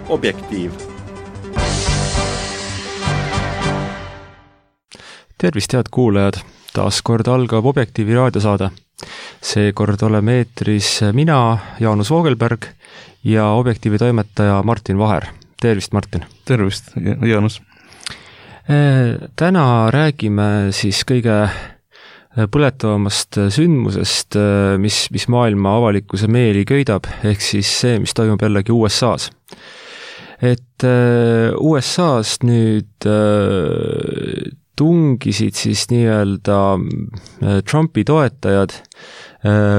Objektiiv. Tervist, head kuulajad! Taas kord algab Objektiivi raadiosaade. Seekord oleme eetris mina, Jaanus Voogelberg ja Objektiivi toimetaja Martin Vaher. Tervist, Martin! Tervist, Jaanus! Täna räägime siis kõige põletavamast sündmusest, mis maailma avalikkuse meeli köidab, ehk siis see, mis toimub jällegi USA-s. Et USA-s nüüd tungisid siis nii-öelda Trumpi toetajad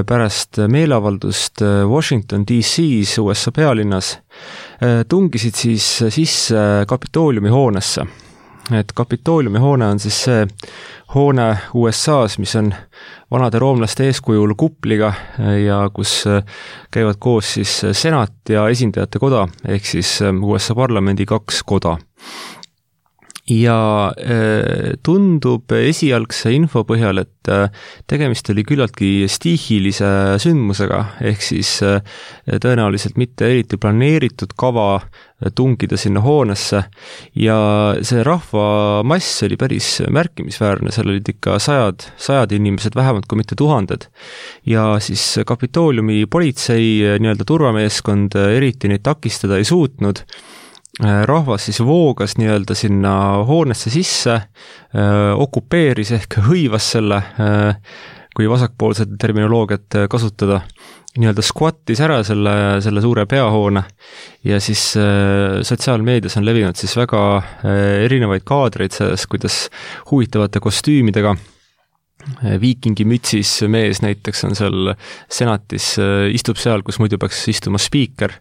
pärast meeleavaldust Washington DC-s, USA pealinnas, tungisid siis sisse Kapitooliumi hoonesse. Et Kapitooliumi hoone on siis see hoone USA-s, mis on vanade roomlaste eeskujul kupliga ja kus käivad koos siis senat ja esindajate koda, ehk siis USA parlamendi 2 koda. Ja tundub esialgse info põhjal, et tegemist oli küllaltki stiihilise sündmusega, ehk siis tõenäoliselt mitte eriti planeeritud kava tungida sinna hoonesse ja see rahvamass oli päris märkimisväärne, seal olid ikka sajad inimesed, vähemalt kui mitte tuhanded. Ja siis Kapitooliumi politsei nii-öelda turvameeskond eriti neid takistada ei suutnud. Rahvas siis voogas nii-öelda sinna hoonesse sisse, okupeeris ehk hõivas selle, kui vasakpoolset terminoloogiat kasutada, nii-öelda squattis ära selle suure peahoone ja siis sotsiaalmeedias on levinud siis väga erinevaid kaadreid sellest, kuidas huvitavate kostüümidega viikingi mütsis mees näiteks on seal senatis, istub seal, kus muidu peaks istuma spiiker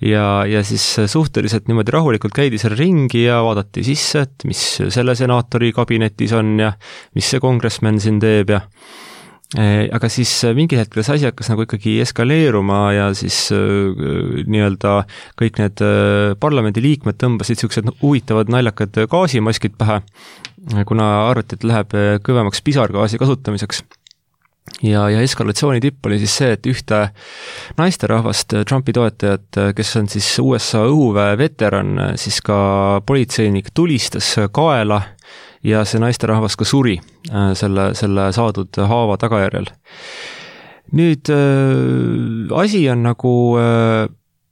ja siis suhteliselt niimoodi rahulikult käidi seal ringi ja vaadati sisse, et mis selle senaatori kabinetis on ja mis see kongressmen siin teeb ja aga siis mingi hetkel see asi hakkas nagu ikkagi eskaleeruma ja siis nii-öelda kõik need parlamendi liikmed tõmbasid siuksed huvitavad naljakad gaasimaskid pähe, kuna arvati, et läheb kõvemaks pisargaasi kasutamiseks. Ja eskalatsiooni tipp oli siis see, et ühte naisterahvast Trumpi toetajat, kes on siis USA õhuväe veteran, siis ka politseinik tulistas kaela ja see naisterahvas ka suri selle saadud haava tagajärjel. Nüüd asi on nagu,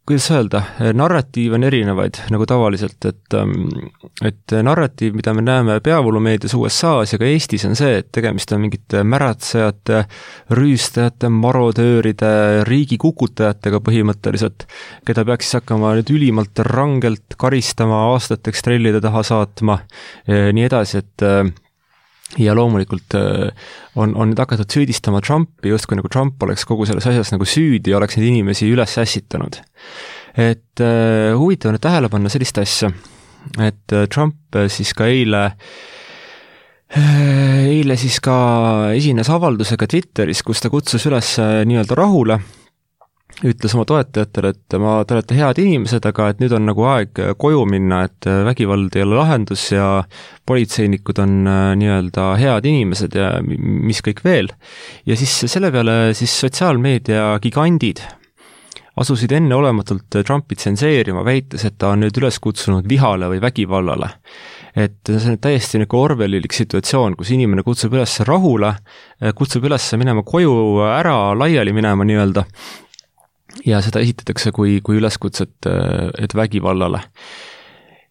kuidas öelda, narratiiv on erinevaid nagu tavaliselt, et narratiiv, mida me näeme peavoolumeedias USA-s ja ka Eestis on see, et tegemist on mingite märatsejate, rüüstajate, marodööride, riigikukutajatega põhimõtteliselt, keda peaks siis hakkama nüüd ülimalt rangelt karistama, aastateks trellide taha saatma, nii edasi, et ja loomulikult on nüüd hakatud süüdistama Trumpi, justkui nagu Trump oleks kogu selles asjas nagu süüdi ja oleks neid inimesi üles ässitanud. Et huvitav on tähele panna sellist asja, et Trump siis ka eile siis ka esines avaldusega Twitteris, kus ta kutsus üles nii-öelda rahule, ütles oma toetajatele, et te olete head inimesed, aga et nüüd on nagu aeg koju minna, et vägivald ei ole lahendus ja politseinikud on nii-öelda head inimesed ja mis kõik veel. Ja siis selle peale siis sotsiaalmeedia gigandid asusid enneolematult Trumpi tsenseerima, väites, et ta on nüüd üles kutsunud vihale või vägivallale. Et see on täiesti nagu orwellilik situatsioon, kus inimene kutsub üles rahule, kutsub üles minema koju ära, laiali minema nii-öelda, ja seda esitatakse kui üleskutset, et vägivallale.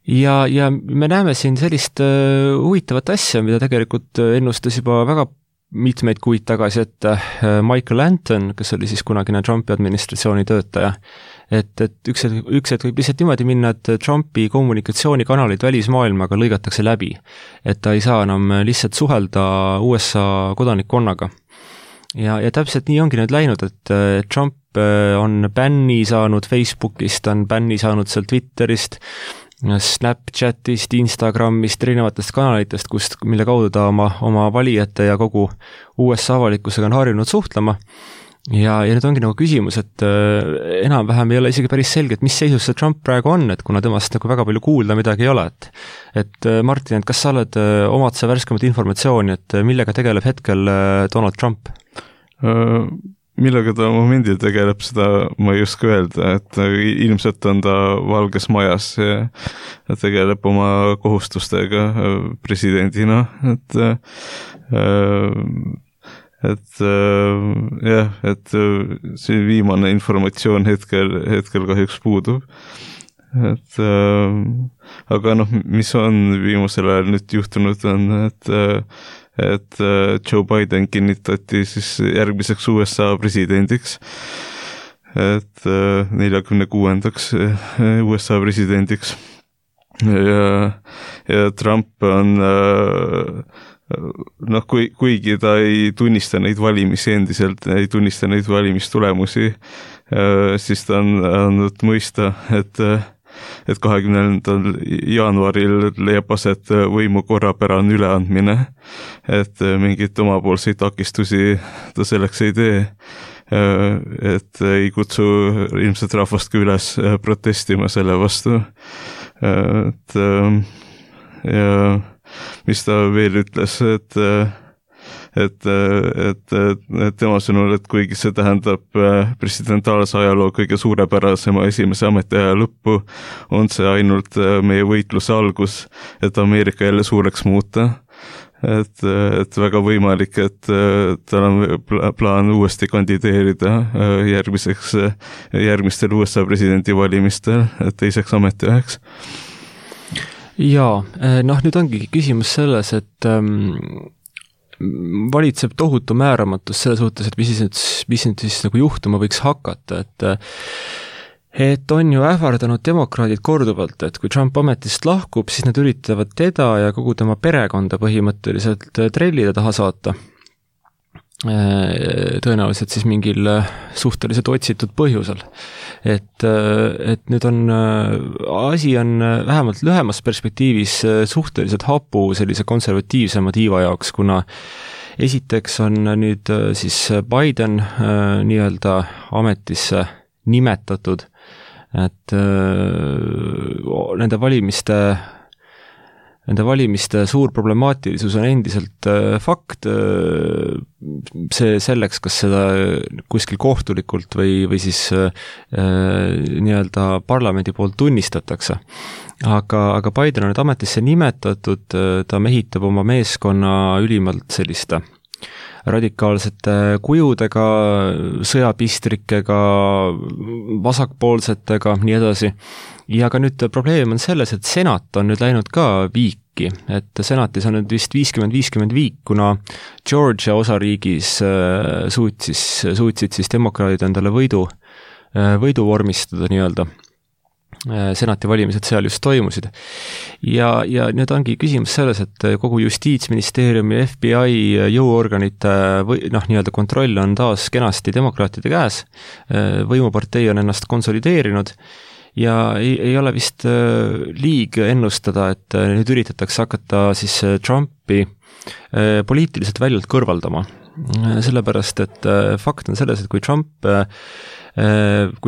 Ja me näeme siin sellist huvitavat asja, mida tegelikult ennustas juba väga mitmeid kuid tagasi, et Michael Anton, kes oli siis kunagine Trumpi administratsiooni töötaja, et üks hetk võib lihtsalt niimoodi minna, et Trumpi kommunikatsioonikanalid välismaailmaga lõigatakse läbi, et ta ei saa enam lihtsalt suhelda USA kodanikkonnaga. Ja täpselt nii ongi nüüd läinud, et Trump on bänni saanud Facebookist, on bänni saanud seal Twitterist, Snapchatist, Instagramist, erinevatest kanalitest, mille kaudu ta oma valijate ja kogu USA avalikkusega on harjunud suhtlema. Ja nüüd ongi nagu küsimus, et enam-vähem ei ole isegi päris selge, et mis seisus see Trump praegu on, et kuna temast nagu väga palju kuulda midagi ei ole. Et Martin, et kas sa omad sa värskemat informatsiooni, et millega tegeleb hetkel Donald Trump? millega ta momendil tegeleb, seda ma ei oska öelda, et ilmselt on ta Valges Majas ja tegeleb oma kohustustega presidendina, jah, et see viimane informatsioon hetkel kahjuks puudub. Aga mis on viimasel ajal nüüd juhtunud on, et Joe Biden kinnitati siis järgmiseks USA presidendiks, et 46. USA presidendiks ja Trump on kuigi ta ei tunnista neid valimisi endiselt, ei tunnista neid valimistulemusi, siis ta on andnud mõista, et 20. jaanuaril leiab aset võimu korrapärane üleandmine, et mingit omapoolseid takistusi ta selleks ei tee, et ei kutsu ilmselt rahvast üles protestima selle vastu, et ja mis ta veel ütles, et tema sõnul, et kuigi see tähendab presidentaalse ajaloo kõige suurepärasema esimese ametiaja lõppu, on see ainult meie võitluse algus, et Ameerika jälle suureks muuta. Et väga võimalik, et tal on plaan uuesti kandideerida järgmistel USA presidendivalimistel teiseks ametiajaks. Jaa, nüüd ongi küsimus selles, et valitseb tohutu määramatus selle suhtes, et mis siis nagu juhtuma võiks hakata, et on ju ähvardanud demokraadid korduvalt, et kui Trump ametist lahkub, siis nad üritavad teda ja kogu tema perekonda põhimõtteliselt trellide taha saata. Tõenäoliselt siis mingil suhteliselt otsitud põhjusel. Et nüüd asi on vähemalt lühemas perspektiivis suhteliselt hapu sellise konservatiivsema tiiva jaoks, kuna esiteks on nüüd siis Biden nii-öelda ametisse nimetatud, et nende valimiste suur problemaatilisus on endiselt fakt, see selleks, kas seda kuskil kohtulikult või siis nii-öelda parlamendi poolt tunnistatakse. Aga Biden on nüüd ametisse nimetatud, ta mehitab oma meeskonna ülimalt selliste radikaalsete kujudega, sõjapistrikega, vasakpoolsetega, nii edasi. Ja ka nüüd probleem on selles, et senat on nüüd läinud ka viiki, et senatis on nüüd vist 50-50 viik, kuna Georgia osariigis suutsid siis demokraadid endale võidu vormistada nii-öelda. Senati valimised seal just toimusid. Ja nüüd ongi küsimus selles, et kogu justiitsministeeriumi, FBI jõuorganite nii-öelda kontroll on taas kenasti demokraatide käes. Võimupartei on ennast konsolideerinud ja ei ole vist liig ennustada, et nüüd üritatakse hakata siis Trumpi poliitiliselt väljalt kõrvaldama. Sellepärast, et fakt on selles, et kui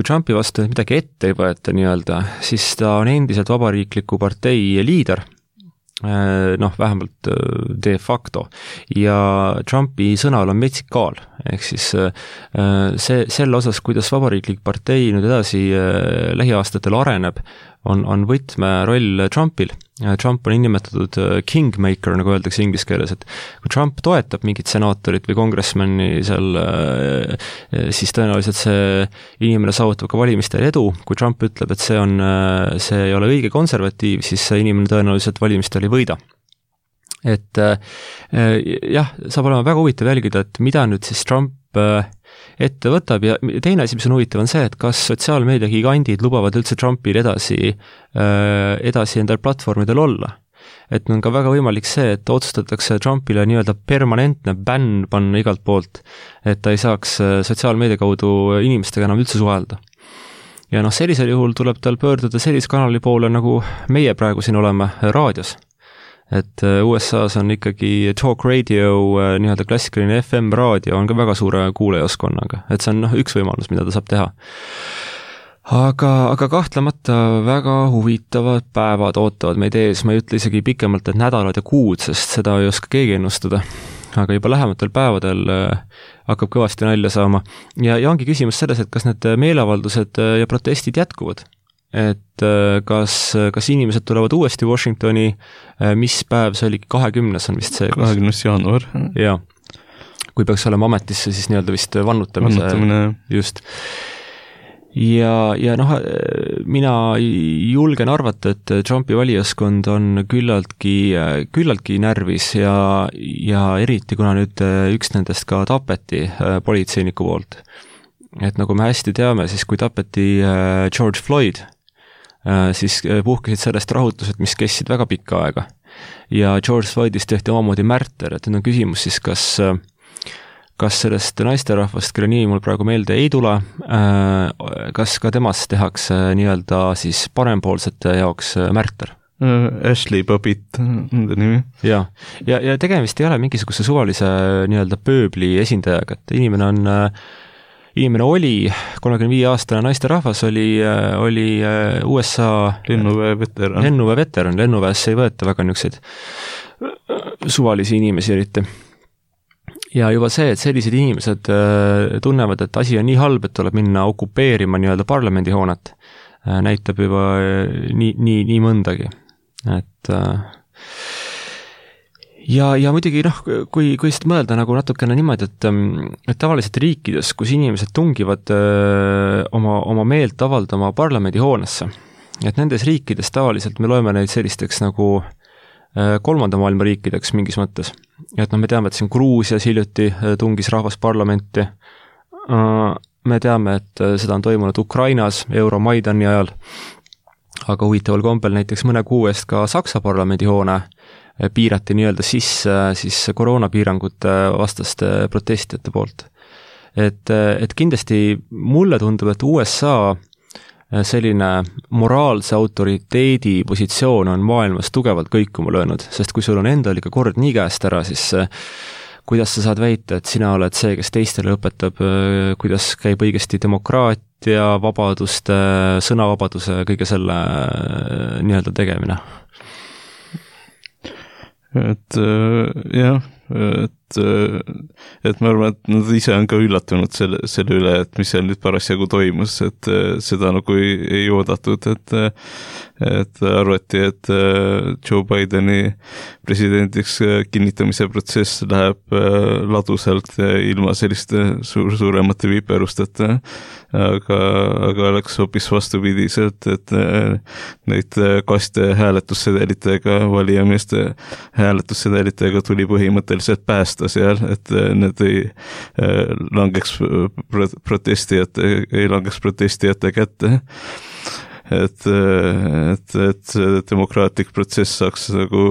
Trumpi vastu midagi ette ei võeta nii-öelda, siis ta on endiselt vabariikliku partei liider, vähemalt de facto, ja Trumpi sõnal on metsik kaal, ehk siis selle osas, kuidas vabariiklik partei nüüd edasi lähiaastatel areneb, on võtmeroll Trumpil. Trump on nimetatud kingmaker, nagu öeldakse inglise keeles, et kui Trump toetab mingit senaatorit või kongressmani seal, siis tõenäoliselt see inimene saavutab ka valimistel edu. Kui Trump ütleb, et see ei ole õige konservatiiv, siis see inimene tõenäoliselt valimistel ei võida. Et jah, saab olema väga huvitav jälgida, et mida nüüd siis Trump ette võtab ja teine asi, mis on huvitav, on see, et kas sotsiaalmeedia gigandid lubavad üldse Trumpil edasi endal platvormidel olla. Et on ka väga võimalik see, et otsustatakse Trumpile nii-öelda permanentne bänn panna igalt poolt, et ta ei saaks sotsiaalmeedia kaudu inimestega enam üldse suhelda. Ja sellisel juhul tuleb tal pöörduda sellise kanali poole, nagu meie praegu siin oleme raadios. Et USA's on ikkagi talk radio, nii-öelda klassikaline FM raadio on ka väga suure kuulajaskonnaga, et see on üks võimalus, mida ta saab teha. Aga kahtlemata väga huvitavad päevad ootavad meid ees, ma ei ütle isegi pikemalt, et nädalad ja kuud, sest seda ei oska keegi ennustada. aga juba lähematel päevadel hakkab kõvasti nalja saama. Ja ongi küsimus selles, et kas need meeleavaldused ja protestid jätkuvad. Et kas inimesed tulevad uuesti Washingtoni, mis päev see oli, 20. on vist see? 20. jaanuar. Jaa, kui peaks olema ametisse, siis nii-öelda vist vannutamine. Just. Ja mina julgen arvata, et Trumpi valijaskond on küllaltki närvis ja eriti kuna nüüd üks nendest ka tapeti politseiniku poolt. Et nagu me hästi teame, siis kui tapeti George Floyd, siis puhkesid sellest rahutused, mis kestsid väga pikka aega. Ja George Floydist tehti omamoodi märter, et nüüd on küsimus siis, kas sellest naisterahvast, kelle nimi mul praegu meelde ei tule, kas ka temast tehakse nii-öelda siis parempoolsete jaoks märter? Ashley Babbitt on ta nimi. Ja tegemist ei ole mingisuguse suvalise nii-öelda pööbli esindajaga, et inimene oli 35-aastane naisterahvas, oli USA lennuväe veteran. Lennuväesse ei võeta väga niisuguseid suvalisi inimesi eriti. Ja juba see, et sellised inimesed tunnevad, et asi on nii halb, et tuleb minna okupeerima nii-öelda parlamendihoonet, näitab juba nii mõndagi. Et ja muidugi kui seda mõelda nagu natukene niimoodi, et tavaliselt riikides, kus inimesed tungivad oma meelt avaldama parlamendihoonesse, et nendes riikides tavaliselt me loeme neid sellisteks nagu kolmanda maailma riikideks mingis mõttes. Et me teame, et siin Gruusias hiljuti tungis rahvas parlamenti. Me teame, et seda on toimunud Ukrainas Euromaidani ajal, aga huvitaval kombel näiteks mõne kuu eest ka Saksa parlamendihoone piirati nii-öelda sisse siis koroonapiirangute vastaste protestijate poolt. Et kindlasti mulle tundub, et USA selline moraalse autoriteedi positsioon on maailmas tugevalt kõikuma löönud, sest kui sul on endal ikka kord nii käest ära, siis kuidas sa saad väita, et sina oled see, kes teistele õpetab, kuidas käib õigesti demokraatia, vabaduste, sõnavabaduse, kõige selle nii-öelda tegemine? Et ma arvan, et nad ise on ka üllatunud selle üle, et mis seal nüüd parasjagu toimus, et seda nagu ei oodatud, et arvati, et Joe Bideni presidendiks kinnitamise protsess läheb ladusalt ilma selliste suuremate viperusteta, aga oleks hoopis vastupidiselt, et neid kaste hääletussedelitega, valijameeste hääletussedelitega tuli põhimõtteliselt päästa seal, et need ei langeks protestijate kätte. Et demokraatlik protsess saaks nagu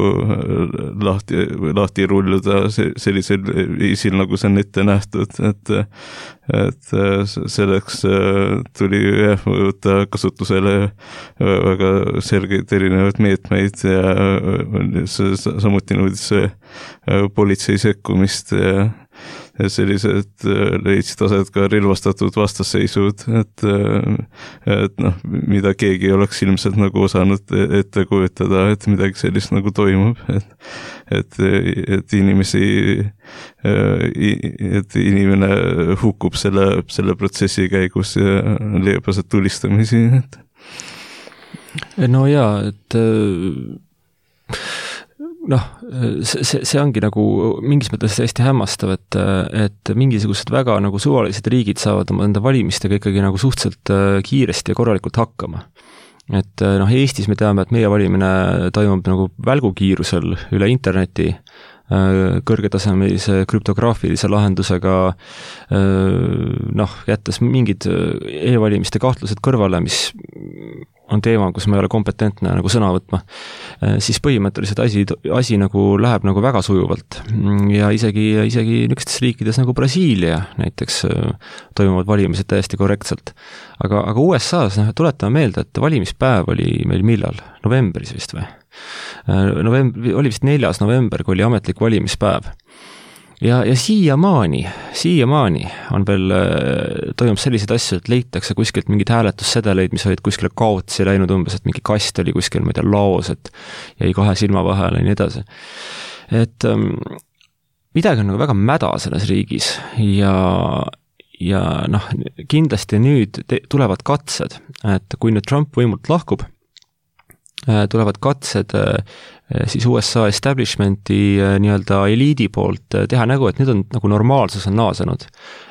lahti rulluda sellisel viisil, nagu see on ette nähtud, et selleks tuli võtta kasutusele väga selgeid erinevaid meetmeid ja samuti nõudis politsei sekkumist ja sellised leidsid aset ka relvastatud vastasseisud, et mida keegi oleks ilmselt nagu osanud ette kujutada, et midagi sellist nagu toimub, et inimene hukkub selle protsessi käigus ja leiab aset tulistamisi. No jaa, et see ongi nagu mingis mõttes hästi hämmastav, et mingisugused väga nagu suvalised riigid saavad enda valimistega ikkagi nagu suhteliselt kiiresti ja korralikult hakkama. Et Eestis me teame, et meie valimine toimub nagu välgukiirusel üle interneti, kõrgetasemelise krüptograafilise lahendusega, jättes mingid e-valimiste kahtlused kõrvale, mis on teema, kus ma ei ole kompetentne nagu sõna võtma, siis põhimõtteliselt asi nagu läheb nagu väga sujuvalt. Ja isegi niisugustes riikides nagu Brasiilia näiteks toimuvad valimised täiesti korrektselt. Aga USA-s tuletame meelde, et valimispäev oli meil millal? Novembris vist või? Oli vist 4. november, kui oli ametlik valimispäev. Ja siiamaani on veel, toimub selliseid asju, et leitakse kuskilt mingid hääletussedeleid, mis olid kuskile kaotsi läinud umbes, et mingi kast oli kuskil, ma ei tea, laos, et jäi 2 silma vahele ja nii edasi. Et midagi on nagu väga mäda selles riigis ja noh, kindlasti nüüd tulevad katsed, et kui nüüd Trump võimult lahkub, tulevad katsed siis USA establishmenti nii-öelda eliidi poolt teha nägu, et nüüd on nagu normaalsus on naasenud.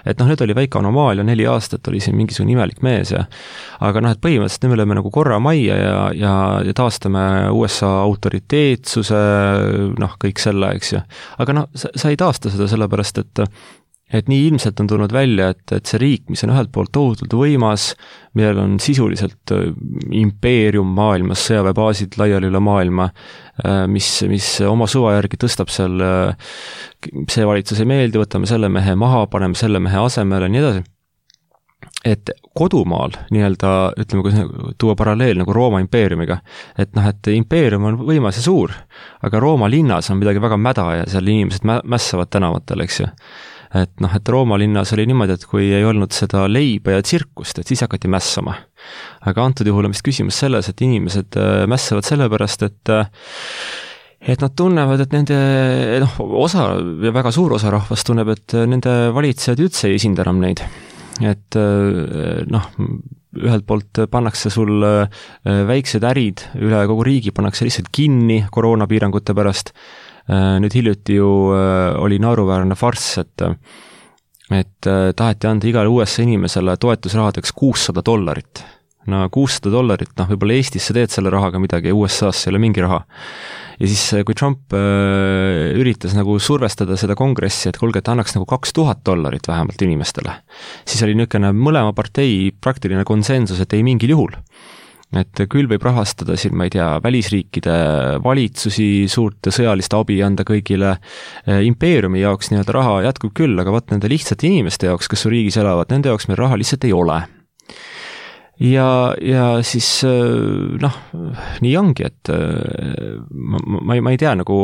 Et noh, nüüd oli väike anomaalia, 4 aastat oli siin mingisugune imelik mees aga noh, et põhimõtteliselt nüüd me oleme nagu korra majja ja taastame USA autoriteetsuse, noh, kõik selle, eks ju. Aga noh, sa ei taasta seda sellepärast, et nii ilmselt on tulnud välja, et see riik, mis on ühelt poolt tohutult võimas, millel on sisuliselt impeerium maailmas, sõjaväebaasid laiali üle maailma, mis oma suva järgi tõstab seal, see valitsus ei meeldi, võtame selle mehe maha, paneme selle mehe asemele, nii edasi. Et kodumaal nii-öelda, ütleme, kui tuua paralleel nagu Rooma impeeriumiga, et noh, et impeerium on võimas ja suur, aga Rooma linnas on midagi väga mäda ja seal inimesed mässavad tänavatel, eks ju. Et noh, et Rooma linnas oli niimoodi, et kui ei olnud seda leiba ja tsirkust, et siis hakati mässama. Aga antud juhul on vist küsimus selles, et inimesed mässavad sellepärast, et nad tunnevad, et nende osa ja väga suur osa rahvast tunneb, et nende valitsejad üldse ei esinda enam neid. Et noh, ühelt poolt pannakse sul väiksed ärid üle kogu riigi, pannakse lihtsalt kinni koroonapiirangute pärast. Nüüd hiljuti ju oli naeruväärne farss, et taheti anda igale USA inimesele toetusrahadeks $600. No $600, noh, võib-olla Eestis sa teed selle rahaga midagi, USA's ei ole mingi raha. Ja siis, kui Trump üritas nagu survestada seda kongressi, et kuulge, et annaks nagu $2000 vähemalt inimestele, siis oli niisugune mõlema partei praktiline konsensus, et ei mingil juhul. Et küll võib rahastada siin, ma ei tea, välisriikide valitsusi, suurt sõjalist abi anda kõigile, impeeriumi jaoks nii-öelda raha jätkub küll, aga vaat nende lihtsate inimeste jaoks, kes su riigis elavad, nende jaoks meil raha lihtsalt ei ole. Ja siis noh, nii ongi, et ma ei tea nagu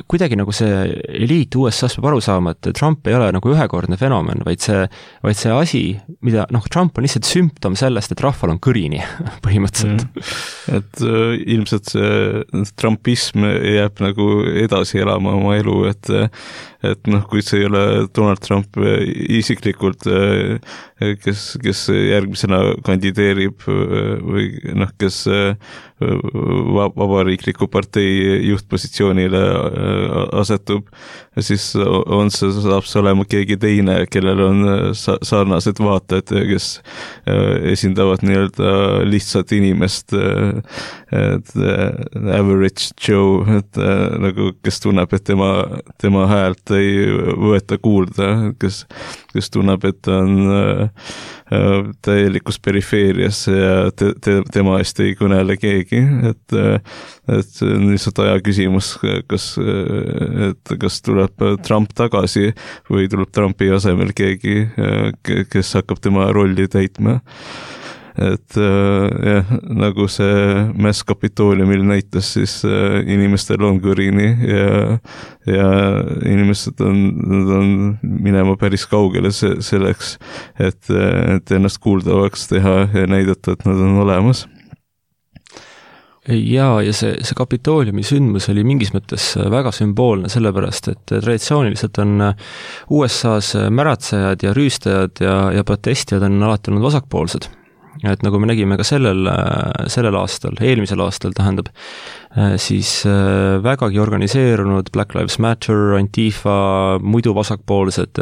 kuidagi nagu see eliit USA-s peab aru saama, et Trump ei ole nagu ühekordne fenomen, vaid see asi, mida noh, Trump on lihtsalt sümptom sellest, et rahval on kõrini põhimõtteliselt. Et ilmselt see Trumpism jääb nagu edasi elama oma elu, et noh, kui see ei ole Donald Trump isiklikult, kes järgmisena kandideerib või noh, kes vabariikliku partei juhtpositsioonile asetub, siis saab see olema keegi teine, kellel on sarnased vaated, kes esindavad nii-öelda lihtsat inimest, average Joe, et nagu kes tunneb, et tema häält ei võeta kuulda, kes tunneb, et ta on täielikus perifeerias ja tema eest ei kõnele keegi, et lihtsalt aja küsimus, kas tuleb Trump tagasi või tuleb Trumpi asemel keegi, kes hakkab tema rolli täitma. Et jah, nagu see mäss Kapitooliumil näitas, siis inimestel on kõrini ja inimesed on minema päris kaugele selleks, et ennast kuuldavaks teha ja näidata, et nad on olemas. Ja see Kapitooliumi sündmus oli mingis mõttes väga sümboolne, sellepärast, et traditsiooniliselt on USA-s märatsejad ja rüüstajad ja protestijad on alati olnud vasakpoolsed. Et nagu me nägime ka sellel aastal, eelmisel aastal tähendab, siis vägagi organiseerunud Black Lives Matter, Antifa, muidu vasakpoolsed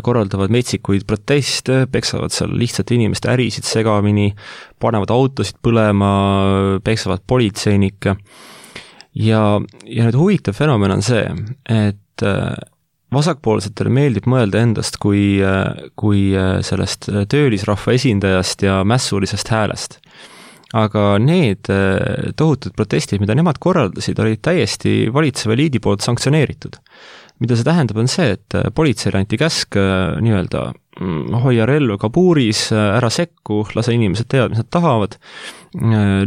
korraldavad metsikuid proteste, peksavad seal lihtsalt inimeste ärisid segamini, panevad autosid põlema, peksavad politseinikke. Ja nüüd huvitav fenomen on see, et vasakpoolsetele meeldib mõelda endast kui sellest töölisrahva esindajast ja mässulisest häälest. Aga need tohutud protestid, mida nemad korraldasid, olid täiesti valitseva liidi poolt sanktsioneeritud. Mida see tähendab, on see, et politseile anti käsk nii-öelda hoia relva kabuuris, ära sekku, lase inimesed teavad, mis nad tahavad.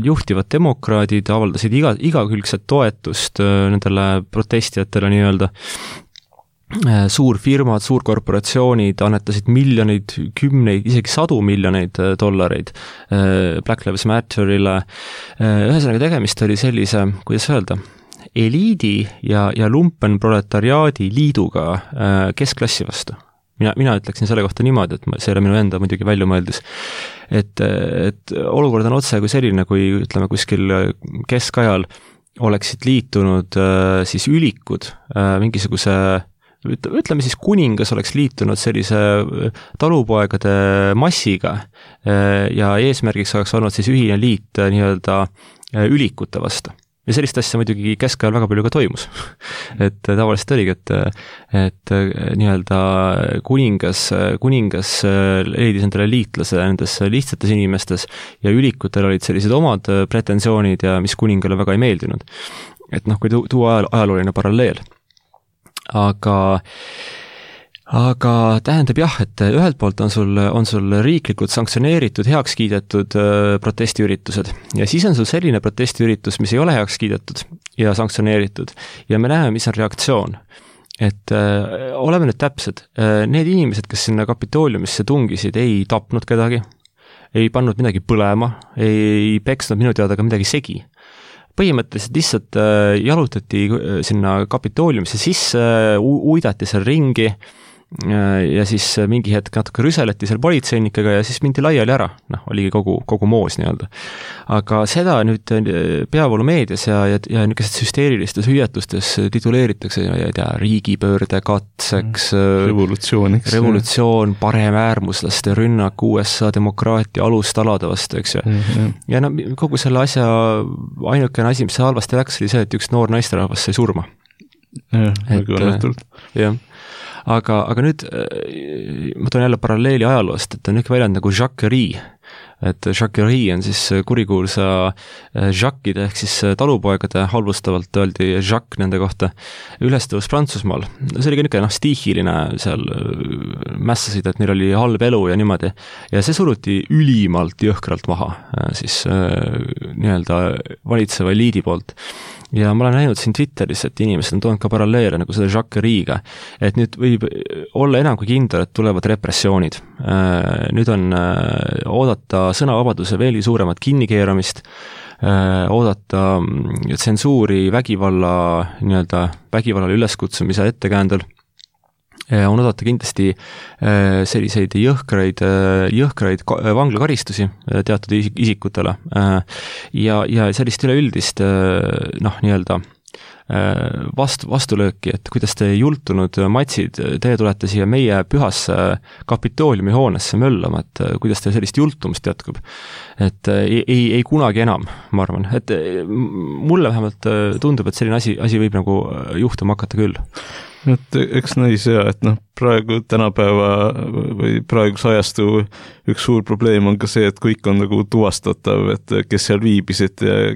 Juhtivad demokraadid avaldasid igakülgset toetust nendele protestijatele nii-öelda. Suurfirmad, suurkorporatsioonid annetasid miljoneid, kümneid, isegi $100 miljoneid Black Lives Matterile. Ühesõnaga tegemist oli sellise, kuidas öelda, eliidi ja lumpenproletariaadi liiduga keskklassi vastu. Mina ütleksin selle kohta niimoodi, et see ei ole minu enda muidugi välja mõeldis, et olukord on otse kui selline, kui ütleme kuskil keskajal oleksid liitunud siis ülikud mingisuguse, ütleme siis kuningas oleks liitunud sellise talupoegade massiga ja eesmärgiks oleks olnud siis ühine liit nii-öelda ülikute vastu. Ja sellist asja muidugi keskajal väga palju ka toimus. Et tavaliselt oligi, et nii-öelda kuningas leidis endale liitlase nendes lihtsates inimestes ja ülikutel olid sellised omad pretensioonid ja mis kuningale väga ei meeldinud. Et kui tuua ajalooline paralleel. Aga tähendab jah, et ühelt poolt on sul riiklikult sanktsioneeritud, heaks kiidetud protestiüritused ja siis on sul selline protestiüritus, mis ei ole heaks kiidetud ja sanktsioneeritud ja me näeme, mis on reaktsioon. Et oleme nüüd täpsed, need inimesed, kes sinna Kapitooliumisse tungisid, ei tapnud kedagi, ei pannud midagi põlema, ei peksnud minu teada ka midagi segi. Põhimõtteliselt lihtsalt jalutati sinna Kapitooliumisse sisse, uidati seal ringi ja siis mingi hetk natuke rüseleti seal politseinikega ja siis mindi laiali ära. Oligi kogu moos nii-öelda. Aga seda nüüd peavoolumeedias ja niisugustes hüsteerilistes hüüatustes tituleeritakse riigipöörde katseks, revolutsioon, paremäärmuslaste rünnak USA demokraatia alustalade vastu, eks ju. Ja kogu selle asja ainukene asi, mis halvasti läks, oli see, et üks noor naisterahvas sai surma. Väga õnnetult. Jah. Aga nüüd ma toon jälle paralleeli ajaloost, et on üks väljend nagu Jacquerie, et Jacquerie on siis kurikuulsa Jacquide ehk siis talupoegade halvustavalt öeldi Jacques nende kohta ülestõus Prantsusmaal. See oli ka niisugune stiihiline seal mässasid, et neil oli halb elu ja niimoodi ja see suruti ülimalt jõhkralt maha siis nii-öelda valitseva eliidi poolt. Ja ma olen näinud siin Twitteris, et inimesed on toonud ka paralleele nagu selle Jacqueriga, et nüüd võib olla enam kui kindel, et tulevad repressioonid. Nüüd on oodata sõnavabaduse veelgi suuremat kinnikeeramist, oodata tsensuuri vägivallale üleskutsumise ettekäändel, on oodata kindlasti selliseid jõhkraid vanglakaristusi teatud isikutele ja sellist üleüldist nii-öelda vastulööki, et kuidas te jultunud matsid, teie tulete siia meie pühasse Kapitooliumi hoonesse möllama, et kuidas te sellist jultumust jätkub. Et ei kunagi enam, ma arvan. Et mulle vähemalt tundub, et selline asi võib nagu juhtuma hakata küll. Et eks näis ja, et praegu tänapäeva või praeguse ajastu üks suur probleem on ka see, et kõik on nagu tuvastatav, et kes seal viibisid ja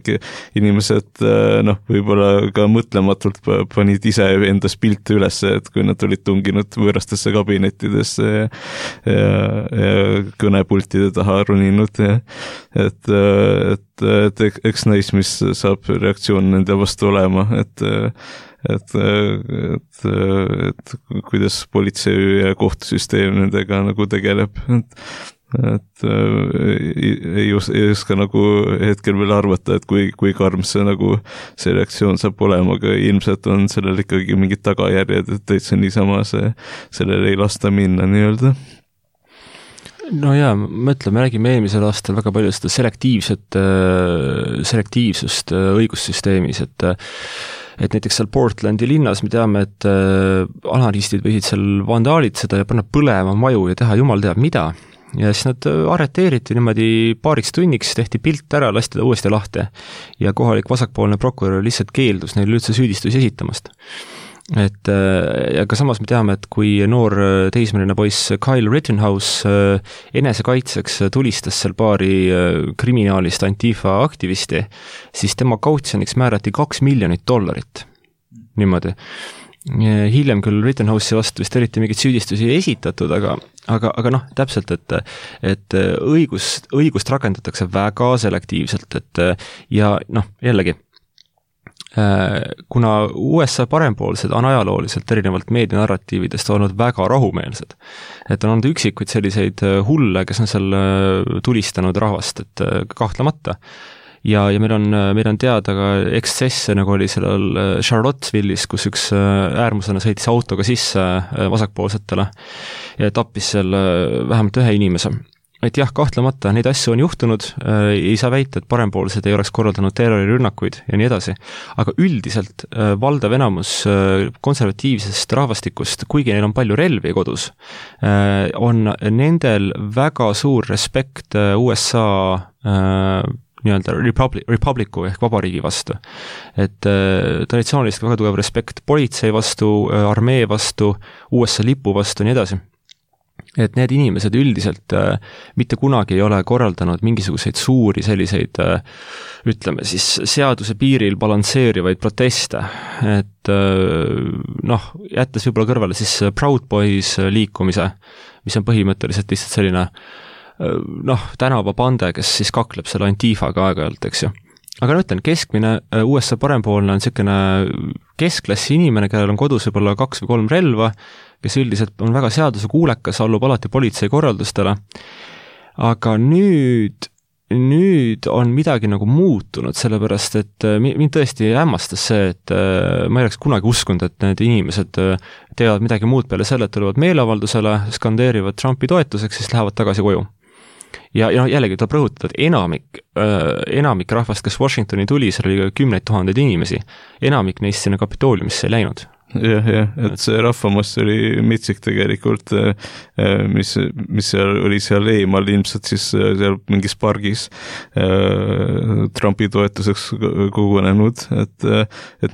inimesed võib-olla ka mõtlematult panid ise endas pilte üles, et kui nad olid tunginud võõrastesse kabinettidesse ja kõnepultide taha runinud et eks näis, mis saab reaktsioon nende vastu olema, et kuidas politsei ja kohtusüsteem nendega nagu tegeleb, et ei oska nagu hetkel veel arvata, et kui karm see nagu see reaktsioon saab olema, aga ilmselt on sellel ikkagi mingid tagajärjed, et täitsa niisama sellele ei lasta minna nii-öelda. No jaa, me räägime eelmisel aastal väga palju seda selektiivsust õigussüsteemis, et näiteks seal Portlandi linnas me teame, et anarhistid võisid seal vandaalitseda ja panna põlema maju ja teha jumal teab mida. Ja siis nad arreteeriti niimoodi paariks tunniks, tehti pilt ära, lasti ta uuesti lahti ja kohalik vasakpoolne prokurör lihtsalt keeldus neil üldse süüdistusi esitamast. Ja ka samas me teame, et kui noor teismeline poiss Kyle Rittenhouse enesekaitseks tulistas seal paari kriminaalist Antifa aktivisti, siis tema kautsjoniks määrati $2 miljonit. Niimoodi. Hiljem küll Rittenhouse'i vastu vist eriti mingit süüdistusi ei esitatud, aga täpselt, et õigust rakendatakse väga selektiivselt, ja jällegi, kuna USA parempoolsed on ajalooliselt erinevalt meedianarratiividest olnud väga rahumeelsed, et on olnud üksikuid selliseid hulle, kes on seal tulistanud rahvast, et kahtlemata. ja meil on teada ka ekstsesse, nagu oli sellel Charlottesville'is, kus üks äärmuslane sõitis autoga sisse vasakpoolsetele ja tappis seal vähemalt ühe inimese. Et jah, kahtlemata neid asju on juhtunud, ei saa väita, et parempoolsed ei oleks korraldanud terrorirünnakuid ja nii edasi, aga üldiselt valdav enamus konservatiivsest rahvastikust, kuigi neil on palju relvi kodus, on nendel väga suur respekt USA nii-öelda republiku ehk vabariigi vastu. Et traditsiooniliselt väga tugev respekt politsei vastu, armee vastu, USA lipu vastu ja nii edasi. Et need inimesed üldiselt mitte kunagi ei ole korraldanud mingisuguseid suuri selliseid, ütleme siis, seaduse piiril balansseerivaid proteste. Et jättes võib-olla kõrvale siis Proud Boys liikumise, mis on põhimõtteliselt lihtsalt selline tänavapande, kes siis kakleb selle Antifaga aeg-ajalt, eks ju. Aga ütlen, keskmine USA parempoolne on selline keskklassi inimene, kellel on kodus võib-olla 2 või 3 relva, kes üldiselt on väga seadusekuulekas, allub alati politsei korraldustele. Aga nüüd on midagi nagu muutunud, sellepärast et mind tõesti hämmastas see, et ma ei oleks kunagi uskunud, et need inimesed teevad midagi muud peale selle, et tulevad meeleavaldusele, skandeerivad Trumpi toetuseks, siis lähevad tagasi koju. Ja jällegi tuleb rõhutada, et enamik rahvast, kes Washingtoni tuli, seal oli 10 000 inimesi, enamik neist sinna Kapitooliumisse ei läinud. Jah, et see rahvamass oli mitsik tegelikult, mis seal oli seal eemal ilmselt siis seal mingis pargis Trumpi toetuseks kogunenud, et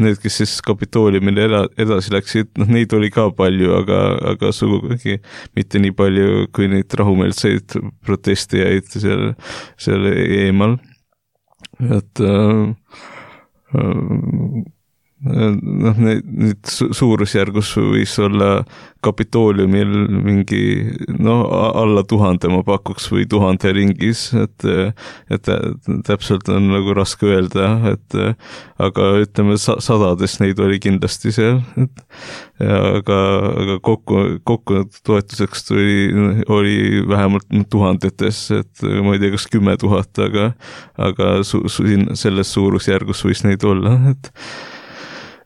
need, kes siis Kapitooliumile edasi läksid, neid oli ka palju, aga sugugi mitte nii palju, kui neid rahumeelseid protestijaid seal eemal. Et nüüd suurusjärgus võis olla Kapitooliumil mingi alla 1000 ma pakuks või 1000 ringis, et täpselt on nagu raske öelda, aga ütleme sadades neid oli kindlasti seal, aga kokku toetuseks oli vähemalt tuhandetes, et ma ei tea, kas 10 000, aga selles suurusjärgus võis neid olla, et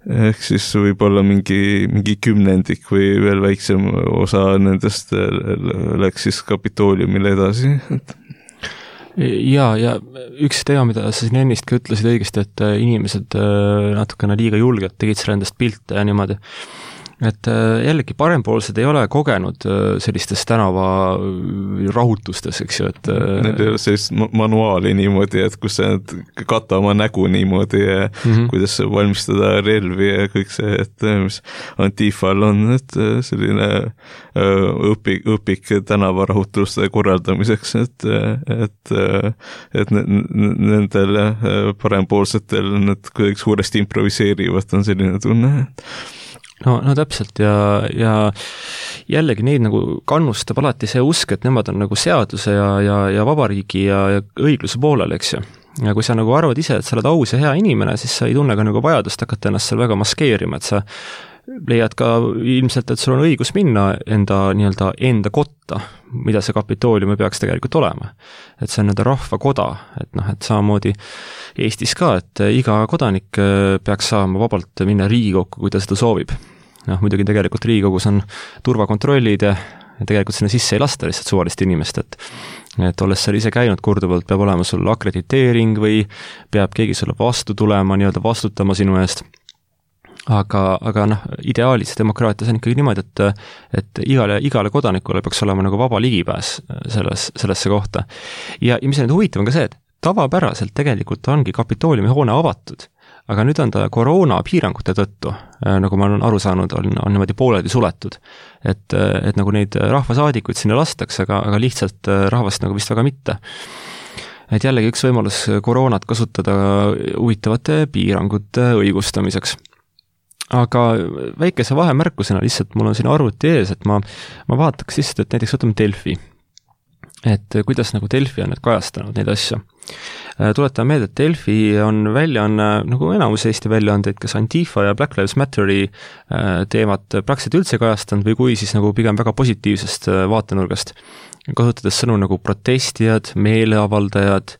ehk siis võib-olla mingi 10 või veel väiksem osa nendest läks siis Kapitooliumile edasi. Ja üks teema, mida sa siin ennist ka ütlesid õigesti, et inimesed natukene liiga julgelt tegid selle endast pilte ja niimoodi. Et jällegi parempoolsed ei ole kogenud sellistes tänava rahutustes, eks ju, et need ei ole sellist manuaali niimoodi, et kus sa kata oma nägu niimoodi ja kuidas valmistada relvi ja kõik see, et mis Antifal on, et selline õpik tänavarahutuste korraldamiseks, et nendel parempoolsetel need kuidagi suuresti improviseerivad, on selline tunne. No täpselt ja jällegi neid nagu kannustab alati see usk, et nemad on nagu seaduse ja vabariigi ja õigluse poolel, eks ju. Ja kui sa nagu arvad ise, et sa oled aus ja hea inimene, siis sa ei tunne ka nagu vajadust hakata ennast seal väga maskeerima, et sa leiad ka ilmselt, et sul on õigus minna enda kotta, mida see Kapitoolium peaks tegelikult olema. Et see on rahvakoda, et samamoodi Eestis ka, et iga kodanik peaks saama vabalt minna Riigikokku, kui ta seda soovib. Muidugi tegelikult Riigikogus on turvakontrollid ja tegelikult sinna sisse ei lasta lihtsalt suvalist inimest, et olles seal ise käinud korduvalt, peab olema sul akrediteering või peab keegi sulle vastu tulema, vastutama sinu eest. Aga ideaalis demokraatias on ikkagi niimoodi, et igale kodanikule peaks olema nagu vaba ligipääs sellesse kohta. Ja mis on huvitav on ka see, et tavapäraselt tegelikult ongi Kapitooliumi hoone avatud, aga nüüd on ta koroona piirangute tõttu, nagu ma olen aru saanud, on niimoodi pooledi suletud. Et nagu neid rahvasaadikuid sinna lastakse, aga lihtsalt rahvast nagu vist väga mitte. Et jällegi üks võimalus koroonat kasutada huvitavate piirangute õigustamiseks. Aga väikese vahemärkusena lihtsalt mul on siin arvuti ees, et ma vaataks lihtsalt, et näiteks võtame Delfi. Et kuidas nagu Delfi on need kajastanud neid asju. Tuletan meelde, et Delfi on väljaanne, nagu enamus Eesti väljaandeid, kas Antifa ja Black Lives Matteri teemat praktiliselt üldse kajastanud või kui siis nagu pigem väga positiivsest vaatenurgast, kasutades sõnu nagu protestijad, meeleavaldajad,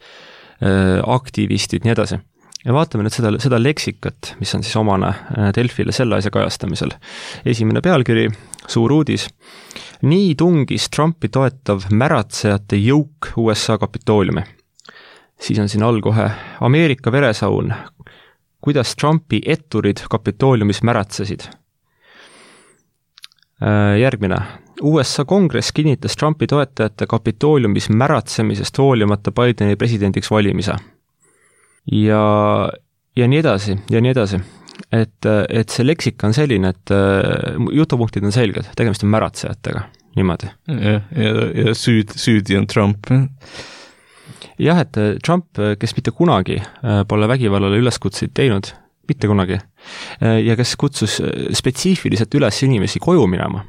aktivistid, nii edasi. Ja vaatame nüüd seda leksikat, mis on siis omane Delfile selle asja kajastamisel. Esimene pealkiri, suur uudis. Nii tungis Trumpi toetav märatsejate jõuk USA Kapitooliumi. Siis on siin all kohe Ameerika veresaun, kuidas Trumpi etturid Kapitooliumis märatsesid. Järgmine. USA kongress kinnitas Trumpi toetajate Kapitooliumis märatsemisest hoolimata Bideni presidendiks valimise. Ja nii edasi, et see leksika on selline, et jutupunktid on selged, tegemist on märatsejatega, niimoodi. Ja süüdi on Trump. Jah, et Trump, kes mitte kunagi pole vägivallale üleskutseid teinud, mitte kunagi, ja kes kutsus spetsiifiliselt üles inimesi koju minema,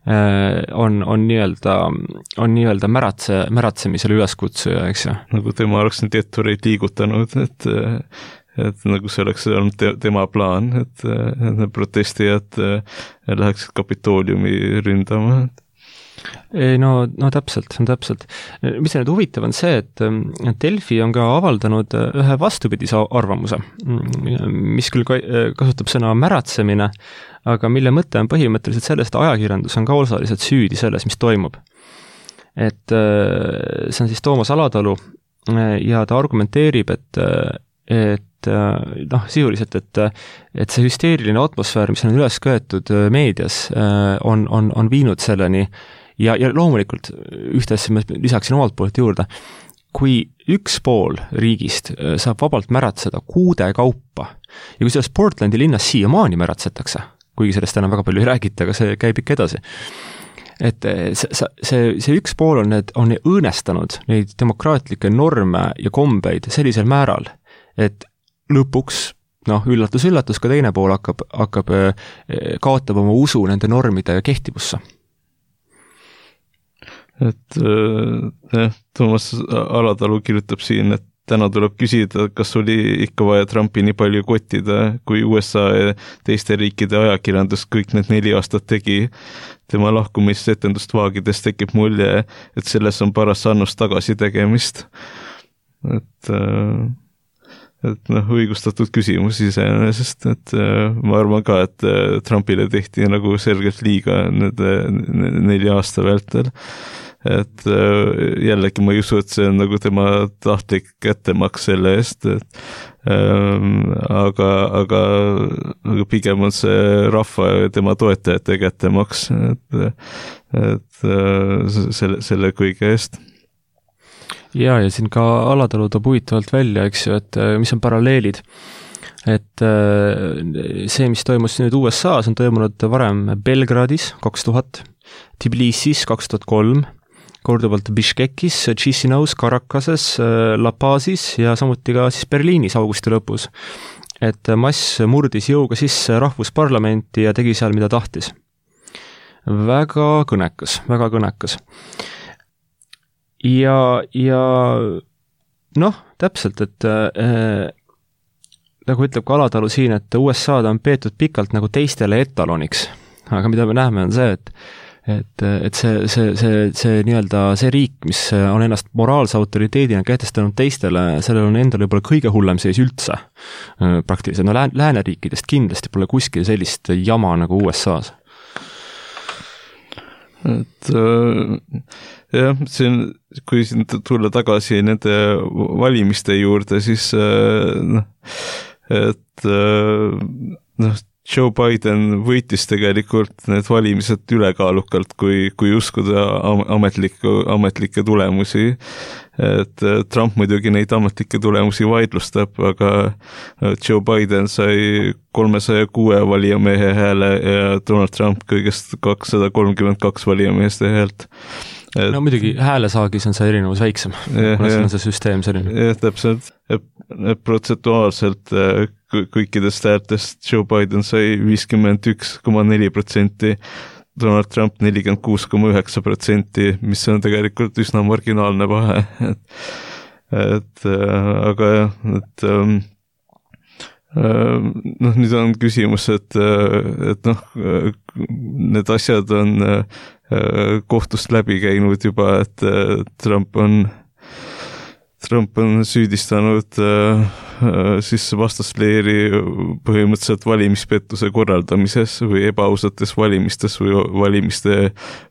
on nii-öelda märatsemisele üleskutsuja, eks ju. Nagu tema oleks need ettureid liigutanud, et nagu see oleks olnud tema plaan, et need protestijad läheksid Kapitooliumi ründama. No täpselt. Mis nüüd huvitav on see, et Delfi on ka avaldanud ühe vastupidise arvamuse, mis küll kasutab sõna märatsemine, aga mille mõte on põhimõtteliselt sellest, et ajakirjandus on ka osaliselt süüdi selles, mis toimub. Et see on siis Toomas Alatalu ja ta argumenteerib, et sisuliselt, et see hüsteeriline atmosfäär, mis on üles köetud meedias, on viinud selleni ja loomulikult ühte asja ma lisaksin omalt poolt juurde, kui üks pool riigist saab vabalt märatseda kuude kaupa ja kui selles Portlandi linnas siiamaani märatsetakse, kuigi sellest enam väga palju ei räägita, aga see käib ikka edasi, et see üks pool on õõnestanud neid demokraatlikke norme ja kombeid sellisel määral, et lõpuks, üllatus, ka teine pool hakkab kaotab oma usu nende normide kehtivusse. Et Toomas Alatalu kirjutab siin, et täna tuleb küsida, kas oli ikka vaja Trumpi nii palju kottida, kui USA ja teiste riikide ajakirjandus kõik need 4 aastat tegi. Tema lahkumisetendust vaagides tekib mulje, et selles on paras annus tagasi tegemist. Et õigustatud küsimus iseenesest, et ma arvan ka, et Trumpile tehti nagu selgelt liiga nende 4 aasta vältel. Et jällegi ma ei usu, et see on nagu tema tahtlik kättemaks selle eest, aga pigem on see rahva ja tema toetajate kättemaks, et selle kõige eest. Ja siin ka Alatalu toob huvitavalt välja, eks ju, et mis on paralleelid. Et see, mis toimus nüüd USA-s, on toimunud varem Belgradis 2000, Tbilisis 2003, korduvalt Bishkekis, Chisinau's, Caracases, La Pazis ja samuti ka siis Berliinis augusti lõpus. Et mass murdis jõuga sisse rahvusparlamenti ja tegi seal, mida tahtis. Väga kõnekas. Ja täpselt, et nagu ütleb ka Alatalu siin, et USA-d on peetud pikalt nagu teistele etaloniks, aga mida me näeme on see, et see nii-öelda see riik, mis on ennast moraalse autoriteedina kehtestanud teistele, sellel on endal võib-olla kõige hullem seis üldse praktiliselt. Lääneriikidest kindlasti pole kuskil sellist jama nagu USA-s. Et jah, kui siin tulla tagasi nende valimiste juurde, siis Joe Biden võitis tegelikult need valimised ülekaalukalt, kui uskuda ametlikke tulemusi. Et Trump muidugi neid ametlikke tulemusi vaidlustab, aga Joe Biden sai 306 valijamehe hääle ja Donald Trump kõigest 232 valijameeste häält. No muidugi häälesaagis on see erinevus väiksem, kuna see on see süsteem selline. Jah, täpselt. Protsentuaalselt kõikidest häältest Joe Biden sai 51,4%, Donald Trump 46,9%, mis on tegelikult üsna marginaalne vahe. Aga nüüd on küsimus, et need asjad on kohtust läbi käinud juba, et Trump on Trump on süüdistanud siis vastasleeri põhimõtteliselt valimispettuse korraldamises või ebausates valimistes või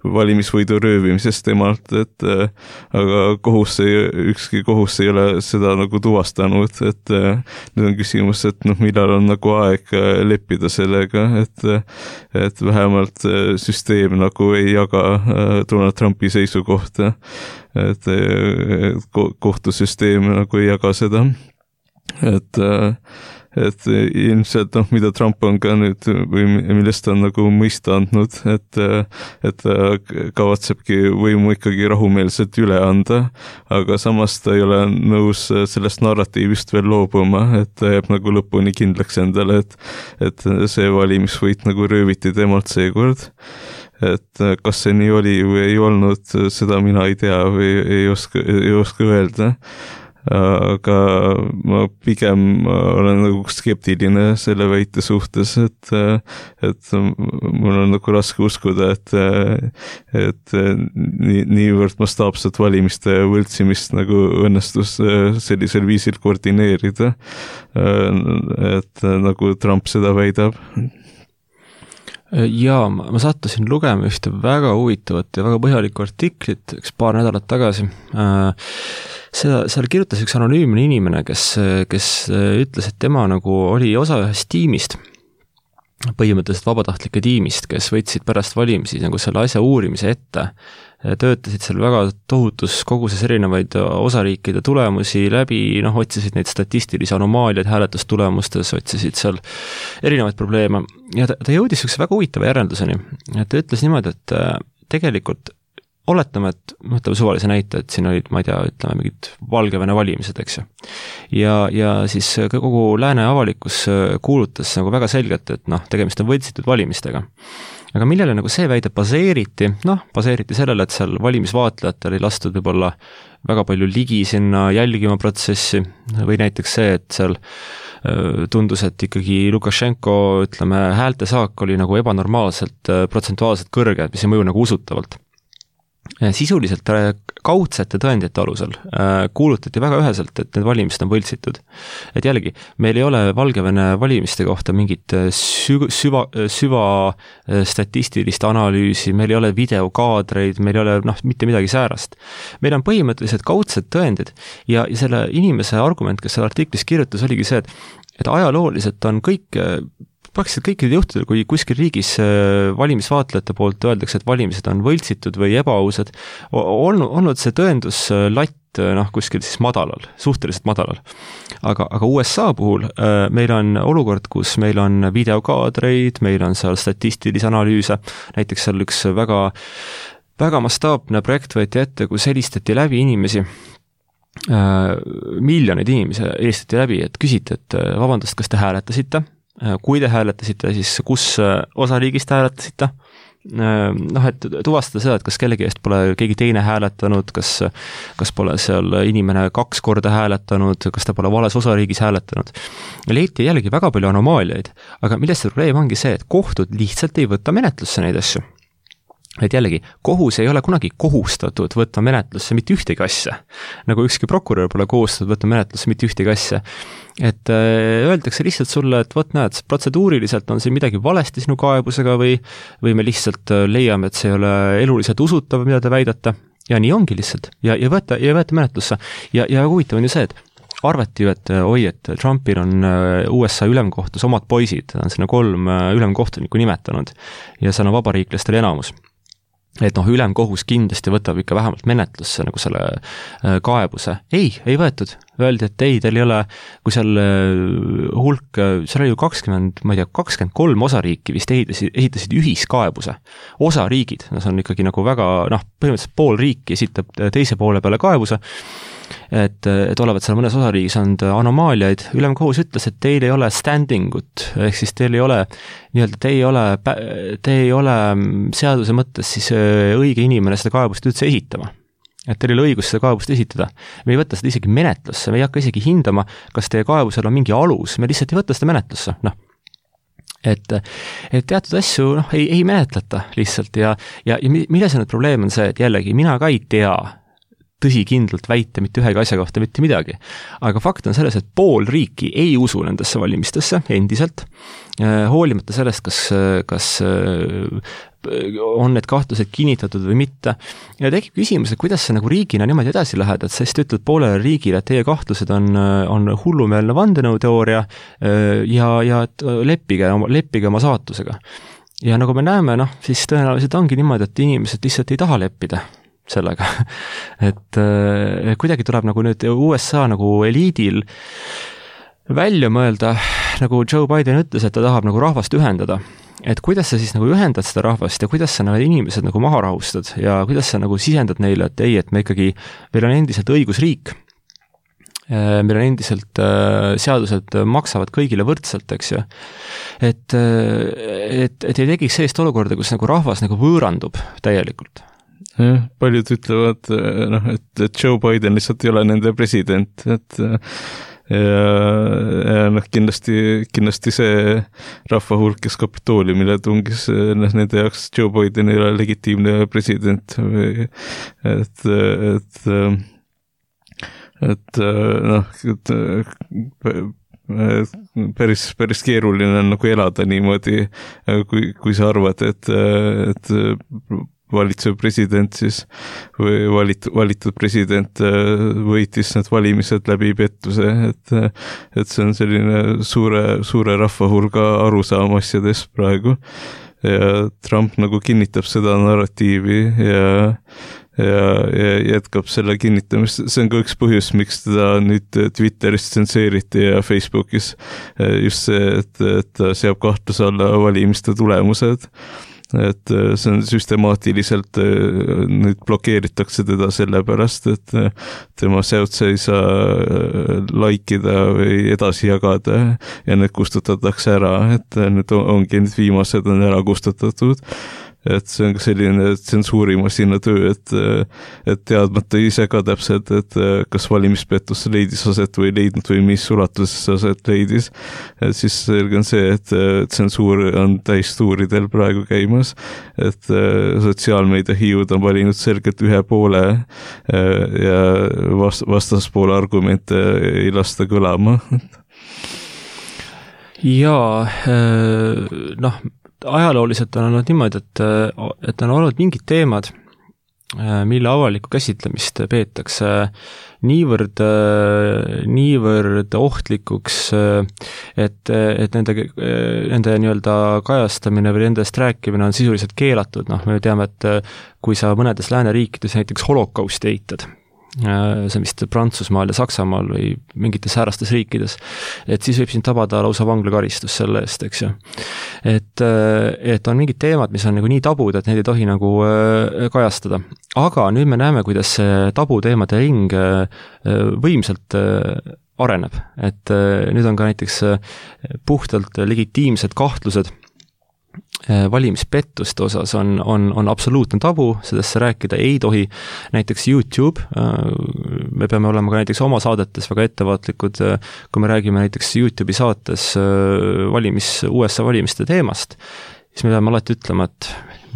valimisvõidu röövimises temalt, aga ükski kohus ei ole seda nagu tuvastanud, et nüüd on küsimus, et millal on nagu aeg leppida sellega, et vähemalt süsteem nagu ei jaga Donald Trumpi seisukohta, et kohtusüsteem nagu ei jaga seda, et ilmselt mida Trump on ka nüüd või millest ta on nagu mõista andnud, et ta kavatsebki võimu ikkagi rahumeelselt üle anda, aga samas ta ei ole nõus sellest narratiivist veel loobuma, et ta jääb nagu lõpuni kindlaks endale, et see valimisvõit nagu rööviti temalt seekord. Et kas see nii oli või ei olnud, seda mina ei tea või ei oska öelda, aga ma pigem olen nagu skeptiline selle väite suhtes, et mul on nagu raske uskuda, et niivõrd mastaapset valimiste võltsimist nagu õnnestus sellisel viisil koordineerida, et nagu Trump seda väidab. Jaa, ma sattusin lugema ühte väga huvitavat ja väga põhjalikku artiklit üks paar nädalat tagasi. Seal kirjutas üks anonüümne inimene, kes ütles, et tema nagu oli osa ühest tiimist, põhimõtteliselt vabatahtlike tiimist, kes võtsid pärast valimisi nagu selle asja uurimise ette, töötasid seal väga tohutus koguses erinevaid osariikide tulemusi läbi, otsisid neid statistilisi anomaaliaid hääletustulemustes, otsisid seal erinevaid probleeme ja ta jõudis üks väga huvitava järelduseni, et ta ütles niimoodi, et tegelikult oletame, et mõtleme suvalise näite, et siin olid, ma ei tea, ütleme mingid Valgevene valimised, eks ju. Ja siis kogu lääne avalikkus kuulutas nagu väga selgelt, et tegemist on võltsitud valimistega. Aga millele nagu see väide baseeriti sellele, et seal valimisvaatlejatel ei lastud võib-olla väga palju ligi sinna jälgima protsessi või näiteks see, et seal tundus, et ikkagi Lukašenko, ütleme, häältesaak oli nagu ebanormaalselt protsentuaalselt kõrge, mis ei mõju nagu usutavalt. Sisuliselt kaudsete tõendite alusel kuulutati väga üheselt, et need valimised on võltsitud. Et jällegi, meil ei ole Valgevene valimiste kohta mingit süva statistilist analüüsi, meil ei ole videokaadreid, meil ei ole mitte midagi säärast. Meil on põhimõtteliselt kaudsed tõendid ja selle inimese argument, kes selle artiklis kirjutas, oligi see, et ajalooliselt on praktiliselt kõikidel juhtudel, kui kuskil riigis valimisvaatlejate poolt öeldakse, et valimised on võltsitud või ebaausad, olnud see tõenduslatt kuskil siis madalal, suhteliselt madalal. Aga USA puhul meil on olukord, kus meil on videokaadreid, meil on seal statistilisi analüüse, näiteks seal üks väga, väga mastaapne projekt võeti ette, kus helistati läbi inimesi, miljoneid inimesi helistati läbi, et küsiti, et vabandust, kas te hääletasite? Kui te hääletasite, siis kus osariigist hääletasite? Et tuvastada seda, et kas kellegi eest pole keegi teine hääletanud, kas pole seal inimene 2 korda hääletanud, kas ta pole vales osariigis hääletanud. Leiti jällegi väga palju anomaaliaid, aga millest see probleem ongi see, et kohtud lihtsalt ei võta menetlusse neid asju. Et jällegi, kohus ei ole kunagi kohustatud võtta menetlusse mitte ühtegi asja, nagu ükski prokurör pole kohustatud võtta menetlusse mitte ühtegi asja. Et öeldakse lihtsalt sulle, et näed, protseduuriliselt on siin midagi valesti sinu kaebusega või me lihtsalt leiame, et see ei ole eluliselt usutav, mida te väidate, ja nii ongi lihtsalt, ja võeta menetlusse. Ja huvitav on ju see, et arvati ju, et Trumpil on USA ülemkohtus omad poisid, ta on sinna 3 ülemkohtunikku nimetanud ja see on vabariiklastel enamus. Et ülemkohus kindlasti võtab ikka vähemalt menetlusse nagu selle kaebuse. Ei võetud. Öeldi, et ei, teil ei ole, kui seal hulk, seal oli ju 23 osariiki vist esitasid ühiskaebuse. Osariigid, see on ikkagi nagu väga, põhimõtteliselt pool riiki esitab teise poole peale kaebuse, et olevat seal mõnes osariigis on anomaaliaid. Ülemkohus ütles, et teil ei ole standingut, ehk siis teil ei ole, te ei ole seaduse mõttes siis õige inimene seda kaebust üldse esitama. Et teil ei ole õigus seda kaebust esitada. Me ei võtta seda isegi menetlusse, me ei hakka isegi hindama, kas teie kaebusel on mingi alus, me lihtsalt ei võtta seda menetlusse. Et teatud asju ei menetleta lihtsalt ja milles on probleem on see, et jällegi mina ka ei tea tõsikindlalt väita mitte ühegi asja kohta mitte midagi. Aga fakt on selles, et pool riiki ei usu nendesse valimistesse endiselt, hoolimata sellest, kas on need kahtlused kinnitatud või mitte. Ja tekib küsimus, et kuidas sa nagu riigina niimoodi edasi lähed, et sa just ütled poolele riigile, et teie kahtlused on hullumeelne vandenõuteooria ja et leppige oma saatusega. Ja nagu me näeme, siis tõenäoliselt ongi niimoodi, et inimesed lihtsalt ei taha leppida sellega. Et kuidagi tuleb nagu nüüd USA nagu eliidil välja mõelda, nagu Joe Biden ütles, et ta tahab nagu rahvast ühendada. Et kuidas sa siis nagu ühendad seda rahvast ja kuidas sa need inimesed nagu maha rahustad ja kuidas sa nagu sisendad neile, et ei, et meil on endiselt õigusriik. Meil on endiselt seadused maksavad kõigile võrdselt, eks ju. Et ei tegiks sellist olukorda, kus nagu rahvas nagu võõrandub täielikult. Jah, paljud ütlevad, et Joe Biden lihtsalt ei ole nende president, et ja kindlasti see rahva hulk, kes Kapitooliumile tungis, nende jaoks Joe Biden ei ole legitiimne president või päris keeruline on nagu elada niimoodi, kui sa arvad, et valitsev president siis või valitud president võitis need valimised läbi pettuse, et see on selline suure rahvahulga arusaam asjadest praegu ja Trump nagu kinnitab seda narratiivi ja jätkab selle kinnitamist. See on ka üks põhjus, miks teda nüüd Twitteris tsenseeriti ja Facebookis just see, et ta seab kahtluse alla valimiste tulemused. Et see on süstemaatiliselt nüüd blokeeritakse teda sellepärast, et tema seotse ei saa laikida või edasi jagada ja need kustutatakse ära, et nüüd ongi need viimased on ära kustutatud. Et see on ka selline tsensuurimasina töö, et teadmata ise ka täpselt, et kas valimispettus leidis aset või leidnud või mis ulatuses aset leidis. Et siis selge on see, et tsensuur on täistuuridel praegu käimas, et sotsiaalmeedia hiiud on valinud selgelt ühe poole ja vastaspoole argumente ei lasta kõlama. Ja ajalooliselt on olnud niimoodi, et on olnud mingid teemad, mille avalikku käsitlemist peetakse niivõrd ohtlikuks, et nende nii-öelda kajastamine või nendest rääkimine on sisuliselt keelatud. Me teame, et kui sa mõnedes lääneriikides näiteks holokausti eitad, see vist Prantsusmaal ja Saksamaal või mingites säärastes riikides, et siis võib sind tabada lausa vanglakaristus selle eest, eks ju. Et on mingid teemad, mis on nagu nii tabud, et need ei tohi nagu kajastada. Aga nüüd me näeme, kuidas see tabuteemade ring võimsalt areneb. Et nüüd on ka näiteks puhtalt legitiimsed kahtlused valimispettuste osas on absoluutne tabu, sedesse rääkida ei tohi. Näiteks YouTube, me peame olema ka näiteks oma saadetes väga ettevaatlikud, kui me räägime näiteks YouTube'i saates USA valimiste teemast, siis me peame alati ütlema, et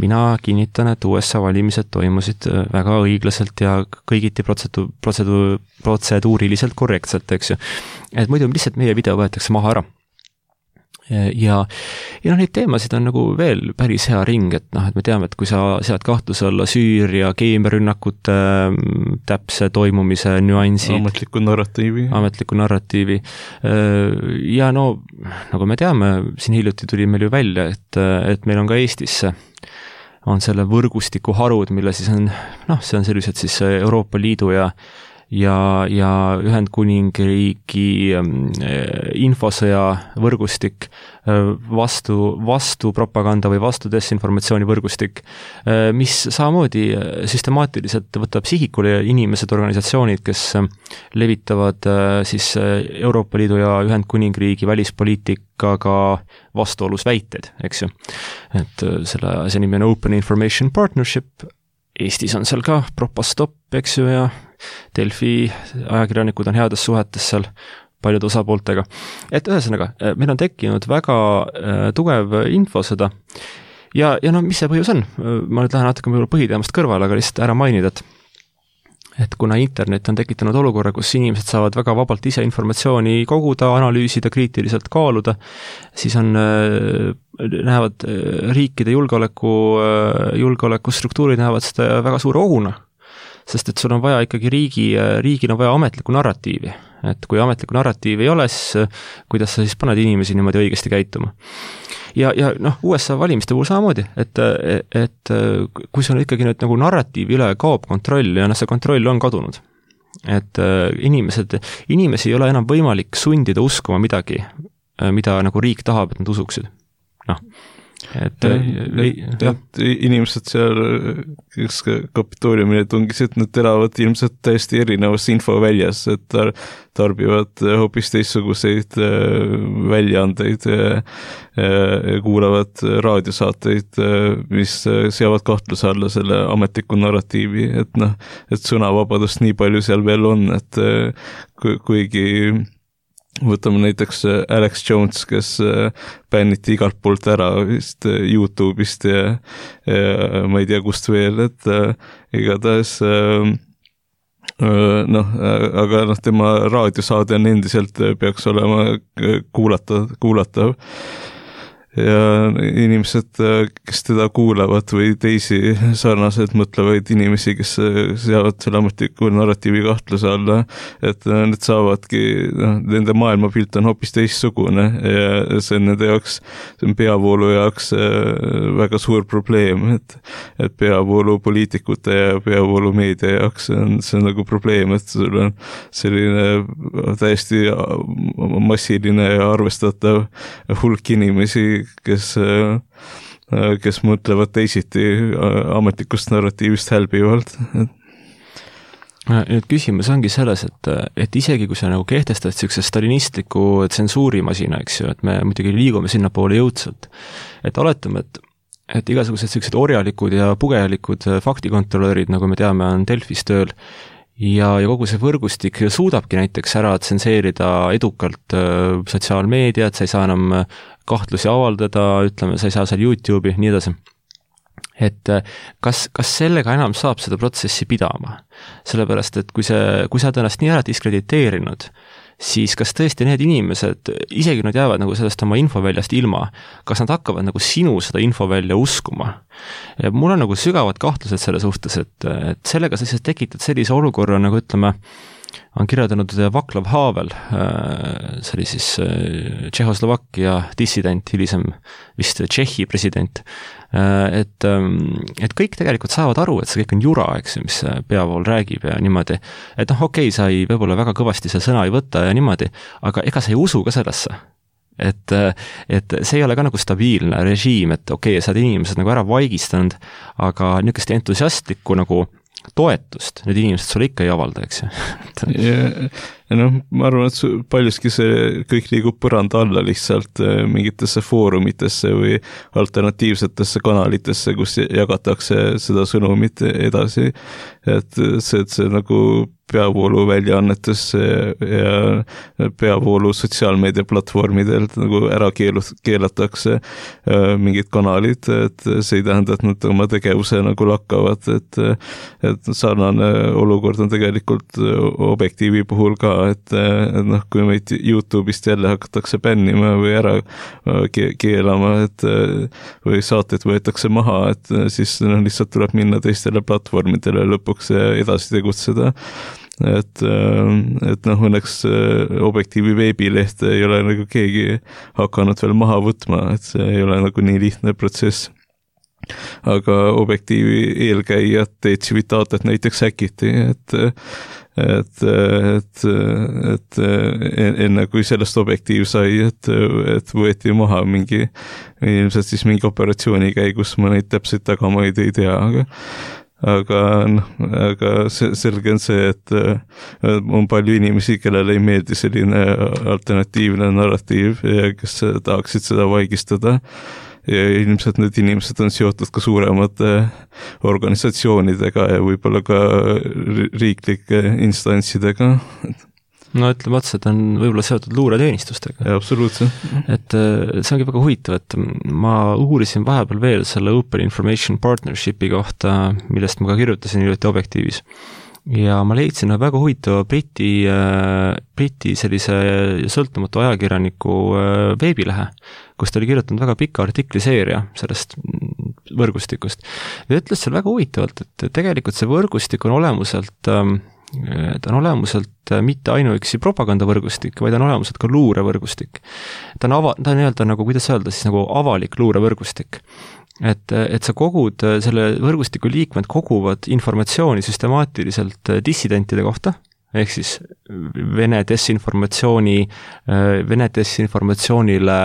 mina kinnitan, et USA valimised toimusid väga õiglaselt ja kõigiti protseduuriliselt korrektselt, eks ju. Et muidu lihtsalt meie video võetakse maha ära. Ja neid teemasid on nagu veel päris hea ring, et me teame, et kui sa sead kahtluse alla Süüria keemiarünnakute täpse toimumise nüansid, ametliku narratiivi ja nagu me teame, siin hiljuti tuli meil ju välja, et meil on ka Eestisse on selle võrgustiku harud, mille siis on, see on sellised siis Euroopa Liidu ja Ühendkuningriigi infosõja võrgustik, vastu propaganda või vastu desinformatsiooni võrgustik, mis samamoodi süstemaatiliselt võtab sihikule inimesed, organisatsioonid, kes levitavad siis Euroopa Liidu ja Ühendkuningriigi välispoliitikaga vastuolus väiteid, eks ju. Et see nimi on Open Information Partnership, Eestis on seal ka Propastop, eks ju, ja Delfi ajakirjanikud on heades suhetes seal paljude osapooltega. Et ühesõnaga, meil on tekkinud väga tugev infosõda ja mis see põhjus on? Ma nüüd lähen natuke põhiteemast kõrvale, aga lihtsalt ära mainida, et kuna internet on tekitanud olukorra, kus inimesed saavad väga vabalt ise informatsiooni koguda, analüüsida, kriitiliselt kaaluda, siis näevad riikide julgeolekustruktuurid näevad seda väga suure ohuna. Sest et sul on vaja ikkagi riigil on vaja ametlikku narratiivi. Et kui ametlikku narratiivi ei ole, siis kuidas sa siis paned inimesi niimoodi õigesti käituma. Ja USA valimiste puhul samamoodi, et kui sul ikkagi nüüd nagu narratiivi üle kaob kontroll ja see kontroll on kadunud, et inimesi ei ole enam võimalik sundida uskuma midagi, mida nagu riik tahab, et nad usuksid. Et inimesed seal, kes Kapitooliumile tungisid, nad elavad ilmselt täiesti erinevas infoväljas, et tarbivad hoopis teistsuguseid väljaandeid, kuulavad raadiosaateid, mis seavad kahtluse alla selle ametliku narratiivi, et sõnavabadust nii palju seal veel on, et kuigi võtame näiteks Alex Jones, kes bänniti igalt poolt ära vist YouTube'ist ja ma ei tea kust veel, et igatahes aga tema raadiosaade on endiselt peaks olema kuulatav. Ja inimesed, kes teda kuulavad või teisi sarnaselt mõtlevaid inimesi, kes seavad selle ametliku narratiivi kahtluse alla, et need saavadki, nende maailmapilt on hoopis teistsugune ja see on nende jaoks, see on peavoolu jaoks väga suur probleem, et peavoolu poliitikute ja peavoolu meedia jaoks on see nagu probleem, et sul on selline täiesti massiline ja arvestatav hulk inimesi, kes mõtlevad teisiti ametlikust narratiivist hälbivalt. Nüüd küsimus ongi selles, et isegi kui sa nagu kehtestad sellise stalinistliku tsensuurimasina, eks ju, et me muidugi liigume sinna poole jõudsalt, et oletame, et igasugused sellised orjalikud ja pugejalikud faktikontrolörid, nagu me teame, on Delfis tööl ja kogu see võrgustik suudabki näiteks ära tsenseerida edukalt sotsiaalmeediat, sa ei saa enam kahtlusi avaldada, ütleme, sa ei saa seal YouTube'i, nii edasi. Et kas sellega enam saab seda protsessi pidama? Sellepärast, et kui sa oled ennast nii ära diskrediteerinud, siis kas tõesti need inimesed, isegi nad jäävad nagu sellest oma infoväljast ilma, kas nad hakkavad nagu sinu seda infovälja uskuma? Ja mul on nagu sügavad kahtlused selle suhtes, et sellega sa siis tekitad sellise olukorra, nagu ütleme, on kirjeldanud Václav Havel, see oli siis Tšehhoslovakkia dissident, hilisem vist Tšehhi president, et kõik tegelikult saavad aru, et see kõik on jura, eks, mis peavool räägib ja niimoodi, et okei, sa ei võib-olla väga kõvasti see sõna ei võta ja niimoodi, aga ega sa ei usu ka sellesse. Et see ei ole ka nagu stabiilne režiim, et okei, sa oled inimesed nagu ära vaigistanud, aga niisugust entusiastlikku nagu toetust, need inimesed sulle ikka ei avalda, eks ju. Ja ma arvan, et paljuski see kõik liigub põranda alla lihtsalt mingitesse foorumitesse või alternatiivsetesse kanalitesse, kus jagatakse seda sõnumit edasi, et see nagu peavoolu väljaannetesse ja peavoolu sotsiaalmeediaplatvormidel nagu ära keelatakse mingid kanalid, et see ei tähenda, et nad oma tegevuse nagu lakkavad, et sarnane olukord on tegelikult Objektiivi puhul ka, et kui meid YouTube'ist jälle hakatakse bännima või ära keelama, et või saated võetakse maha, et siis lihtsalt tuleb minna teistele platvormidele lõpuks edasi tegutseda. Et õnneks Objektiivi veebilehte ei ole nagu keegi hakanud veel maha võtma, et see ei ole nagu nii lihtne protsess. Aga Objektiivi eelkäijad Civitatet näiteks häkiti, et enne kui sellest Objektiiv sai, et võeti maha ilmselt siis mingi operatsiooni käigus, ma neid täpselt tagamaid ei tea, aga selge on see, et on palju inimesi, kellele ei meeldi selline alternatiivne narratiiv ja kes tahaksid seda vaigistada ja ilmselt need inimesed on seotud ka suuremate organisatsioonidega ja võib-olla ka riiklike instantsidega. No ütleme otsa, et on võib-olla seotud luureteenistustega. Ja, absoluutselt. Et see ongi väga huvitav, et ma uurisin vahepeal veel selle Open Information Partnershipi kohta, millest ma ka kirjutasin hiljuti Objektiivis. ja ma leidsin väga huvitava Briti sellise sõltumatu ajakirjaniku veebilehe, kus ta oli kirjutanud väga pika artikliseeria sellest võrgustikust. Ja ütles seal väga huvitavalt, et tegelikult see võrgustik on olemuselt ta on olemuselt mitte ainuüksi propagandavõrgustik, vaid on olemuselt ka luurevõrgustik. Ta on nii-öelda nagu, kuidas öelda, siis nagu avalik luurevõrgustik. Et sa kogud, selle võrgustiku liikmed koguvad informatsiooni süstemaatiliselt dissidentide kohta, ehk siis Vene desinformatsioonile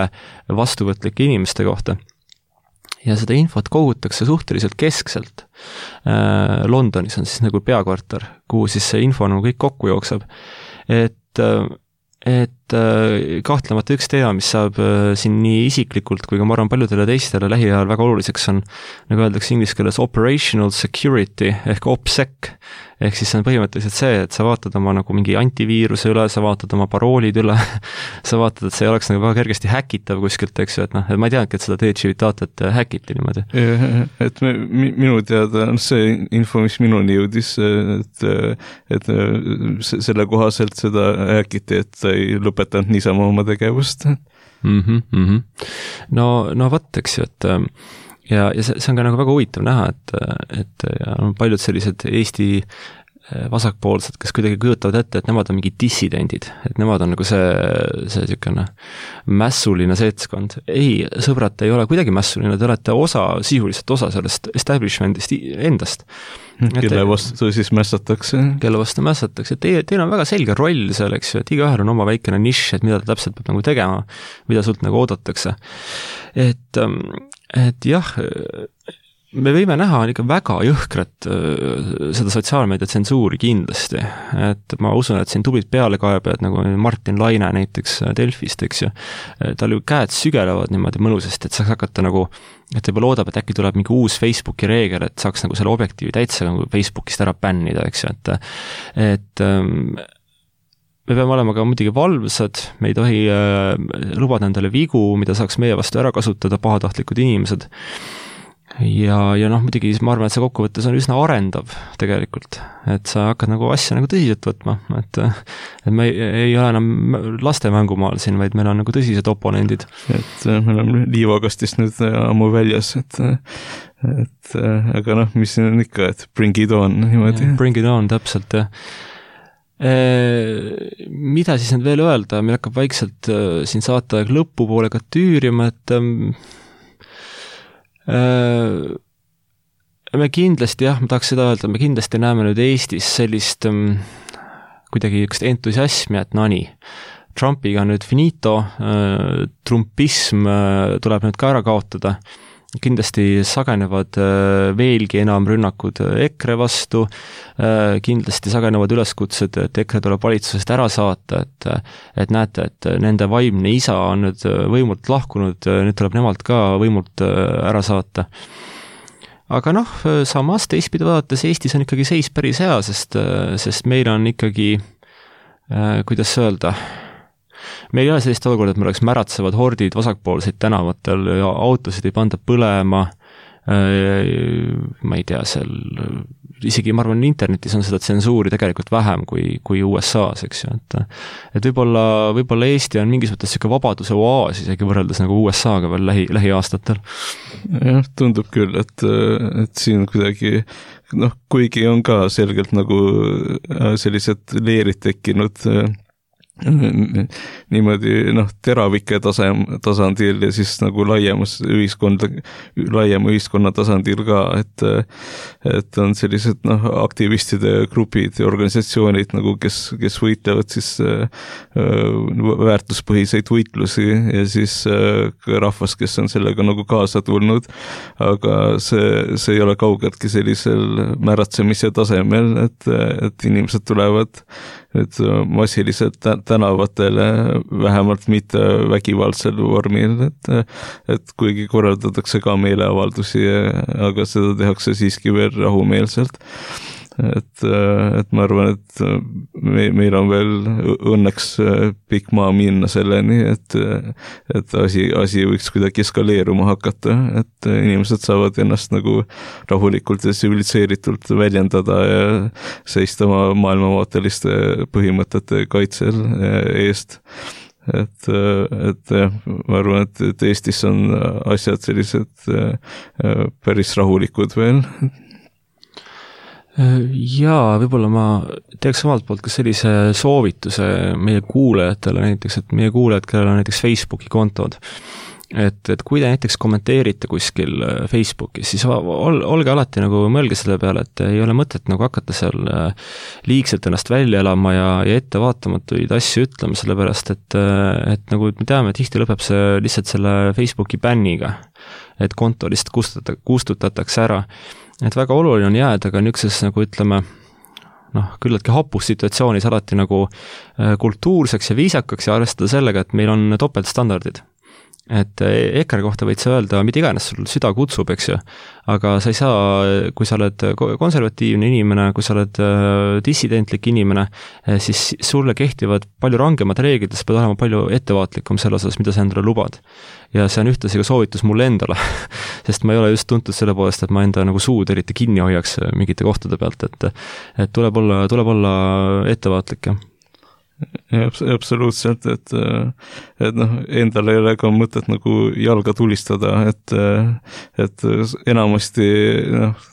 vastuvõtlike inimeste kohta. Ja seda infot kogutakse suhteliselt keskselt. Londonis on siis nagu peakvartar, kuhu siis see info nagu kõik kokku jookseb. Et kahtlemata üks teema, mis saab siin nii isiklikult kui ka ma arvan paljudele teistele lähiajal väga oluliseks on, nagu öeldakse inglise keeles operational security ehk OPSEC, ehk siis see on põhimõtteliselt see, et sa vaatad oma nagu mingi antiviiruse üle, sa vaatad oma paroolid üle, sa vaatad, et see ei oleks nagu väga kergesti häkitav kuskilt, eks ju, et et ma ei teadki, et seda Civitatet häkiti niimoodi. Et minu teada on see info, mis minuni jõudis, et selle kohaselt seda häkiti, et ta ei lõpetanud niisama oma tegevust. No vot, eks ju, et ja see on ka nagu väga huvitav näha, et on paljud sellised Eesti vasakpoolsed, kes kuidagi kujutavad ette, et nemad on mingid dissidendid, et nemad on nagu see sükene mässuline seltskond. Ei, sõbrad, ei ole kuidagi mässuline, te olete sisuliselt osa sellest establishmentist endast. Kelle vastu siis mässatakse? Kelle vastu mässatakse. Teil on väga selge roll seal, eks ju, et igaühel on oma väikene nišš, et mida ta täpselt peab nagu tegema, mida sult nagu oodatakse. Et jah, me võime näha ikka väga jõhkrat seda sotsiaalmeedia tsensuuri kindlasti, et ma usun, et siin tublid pealekaebajad nagu Martin Laine näiteks Delfist, eks ju, tal ju käed sügelevad niimoodi mõnusasti, et saaks hakata nagu, et juba loodab, et äkki tuleb mingi uus Facebooki reegel, et saaks nagu selle objektiivi täitsa nagu Facebookist ära bännida, eks ju, et me peame olema ka muidugi valvsad, me ei tohi lubada endale vigu, mida saaks meie vastu ära kasutada pahatahtlikud inimesed. Ja muidugi ma arvan, et see kokkuvõttes on üsna arendav tegelikult, et sa hakkad nagu asja nagu tõsiselt võtma, et me ei ole enam laste mängumaal siin, vaid meil on nagu tõsised oponendid. Et me oleme liivakastist nüüd ammu väljas, et aga mis siin on ikka, et bring it on niimoodi. Bring it on, täpselt, jah. Mida siis nüüd veel öelda, meil hakkab vaikselt siin saateaeg lõpupoole ka tüürima, et me kindlasti, ma tahaks seda öelda, me kindlasti näeme nüüd Eestis sellist kuidagi üks entusiasmi, et Trumpiga on nüüd finito, trumpism tuleb nüüd ka ära kaotada, kindlasti sagenevad veelgi enam rünnakud EKRE vastu, kindlasti sagenevad üleskutsed, et EKRE tuleb valitsusest ära saata, et näete, et nende vaimne isa on nüüd võimult lahkunud, nüüd tuleb nemalt ka võimult ära saata. Aga samas teistpidi vaadates Eestis on ikkagi seis päris hea, sest meil on ikkagi, kuidas öelda, meil ei ole sellist olukorda, et meil oleks märatsevad hordid vasakpoolseid tänavatel ja autosid ei panda põlema, ma ei tea, isegi ma arvan, internetis on seda tsensuuri tegelikult vähem kui USA-s, eks ju, et võib-olla Eesti on mingis mõttes selline vabaduse oaas isegi võrreldes nagu USA-ga veel lähiaastatel. Jah, tundub küll, et siin kuidagi kuigi on ka selgelt nagu sellised leerid tekkinud niimoodi teravike tasandil ja siis nagu laiema ühiskonna tasandil ka, et on sellised aktivistide grupid ja organisatsioonid nagu, kes võitlevad siis väärtuspõhiseid võitlusi ja siis rahvas, kes on sellega nagu kaasa tulnud, aga see ei ole kaugeltki sellisel määratsemise tasemel, et inimesed tulevad nüüd massiliselt tänavatele, vähemalt mitte vägivaldsel vormil, et kuigi korraldatakse ka meeleavaldusi, aga seda tehakse siiski veel rahumeelselt. et ma arvan, et meil on veel õnneks pikk maa minna selleni, et asi võiks kuidagi eskaleeruma hakata, et inimesed saavad ennast nagu rahulikult ja tsiviliseeritult väljendada ja seista oma maailmavaateliste põhimõtete kaitsel eest. Et jah, ma arvan, et Eestis on asjad sellised päris rahulikud veel. Jaa, võib-olla ma teeks omalt poolt ka sellise soovituse meie kuulajatele näiteks, et meie kuulajad, kellel on näiteks Facebooki kontod, et kui te näiteks kommenteerite kuskil Facebookis, siis olge alati nagu mõelge selle peale, et ei ole mõtet nagu hakata seal liigselt ennast välja elama ja ettevaatamatuid asju ütlema, sellepärast et nagu me teame, tihti lõpeb see lihtsalt selle Facebooki bänniga, et konto lihtsalt kustutatakse ära. Et väga oluline on jääda ka niisuguses nagu ütleme, küllaltki hapus situatsioonis alati nagu kultuurseks ja viisakaks ja arvestada sellega, et meil on topeltstandardid. Et EKRE kohta võid sa öelda, mida iganes sul süda kutsub, eks ju, aga sa ei saa, kui sa oled konservatiivne inimene, kui sa oled dissidentlik inimene, siis sulle kehtivad palju rangemad reeglid, sa pead olema palju ettevaatlikum selle osas, mida sa endale lubad. Ja see on ühtlasi ka soovitus mulle endale, sest ma ei ole just tuntud selle poolest, et ma enda nagu suud eriti kinni hoiaks mingite kohtade pealt, et tuleb olla ettevaatlik. Ja, absoluutselt, et endal ei ole ka mõtet nagu jalga tulistada, et enamasti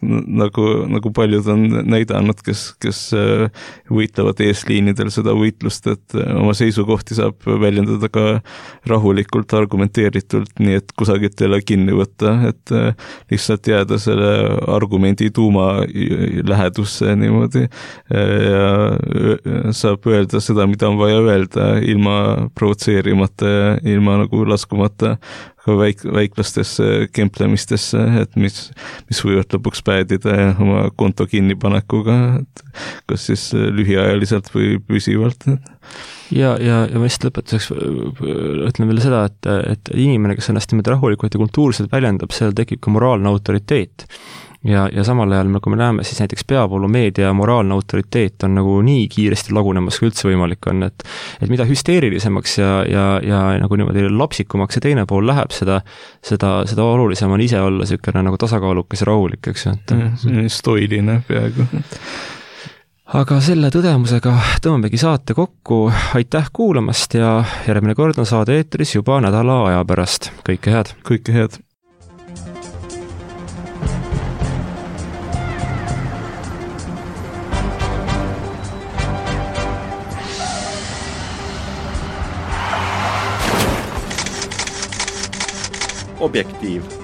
nagu paljud on näidanud, kes võitlevad eesliinidel seda võitlust, et oma seisukohti saab väljendada ka rahulikult, argumenteeritult, nii et kusagilt ei ole kinni võtta, et lihtsalt jääda selle argumendi tuuma lähedusse niimoodi ja saab öelda seda, mida on vaja öelda ilma provotseerimata ja ilma nagu laskumata ka väiklastesse kemplemistesse, et mis võivad lõpuks päädida oma konto kinnipanekuga, et kas siis lühiajaliselt või püsivalt. Ja ma lihtsalt lõpetuseks ütlen veel seda, et inimene, kes ennast niimoodi rahulikult ja kultuurselt väljendab, seal tekib ka moraalne autoriteet. Ja samal ajal, nagu me näeme, siis näiteks peavoolumeedia moraalne autoriteet on nagu nii kiiresti lagunemas, kui üldse võimalik on, et mida hüsteerilisemaks ja nagu niimoodi lapsikumaks see teine pool läheb, seda olulisem on ise olla niisugune nagu tasakaalukas ja rahulik, eks ju. Stoiline peaaegu. Aga selle tõdemusega tõmbamegi saate kokku. Aitäh kuulamast ja järgmine kord on saade eetris juba nädala aja pärast. Kõike head! Kõike head! Objektiiv.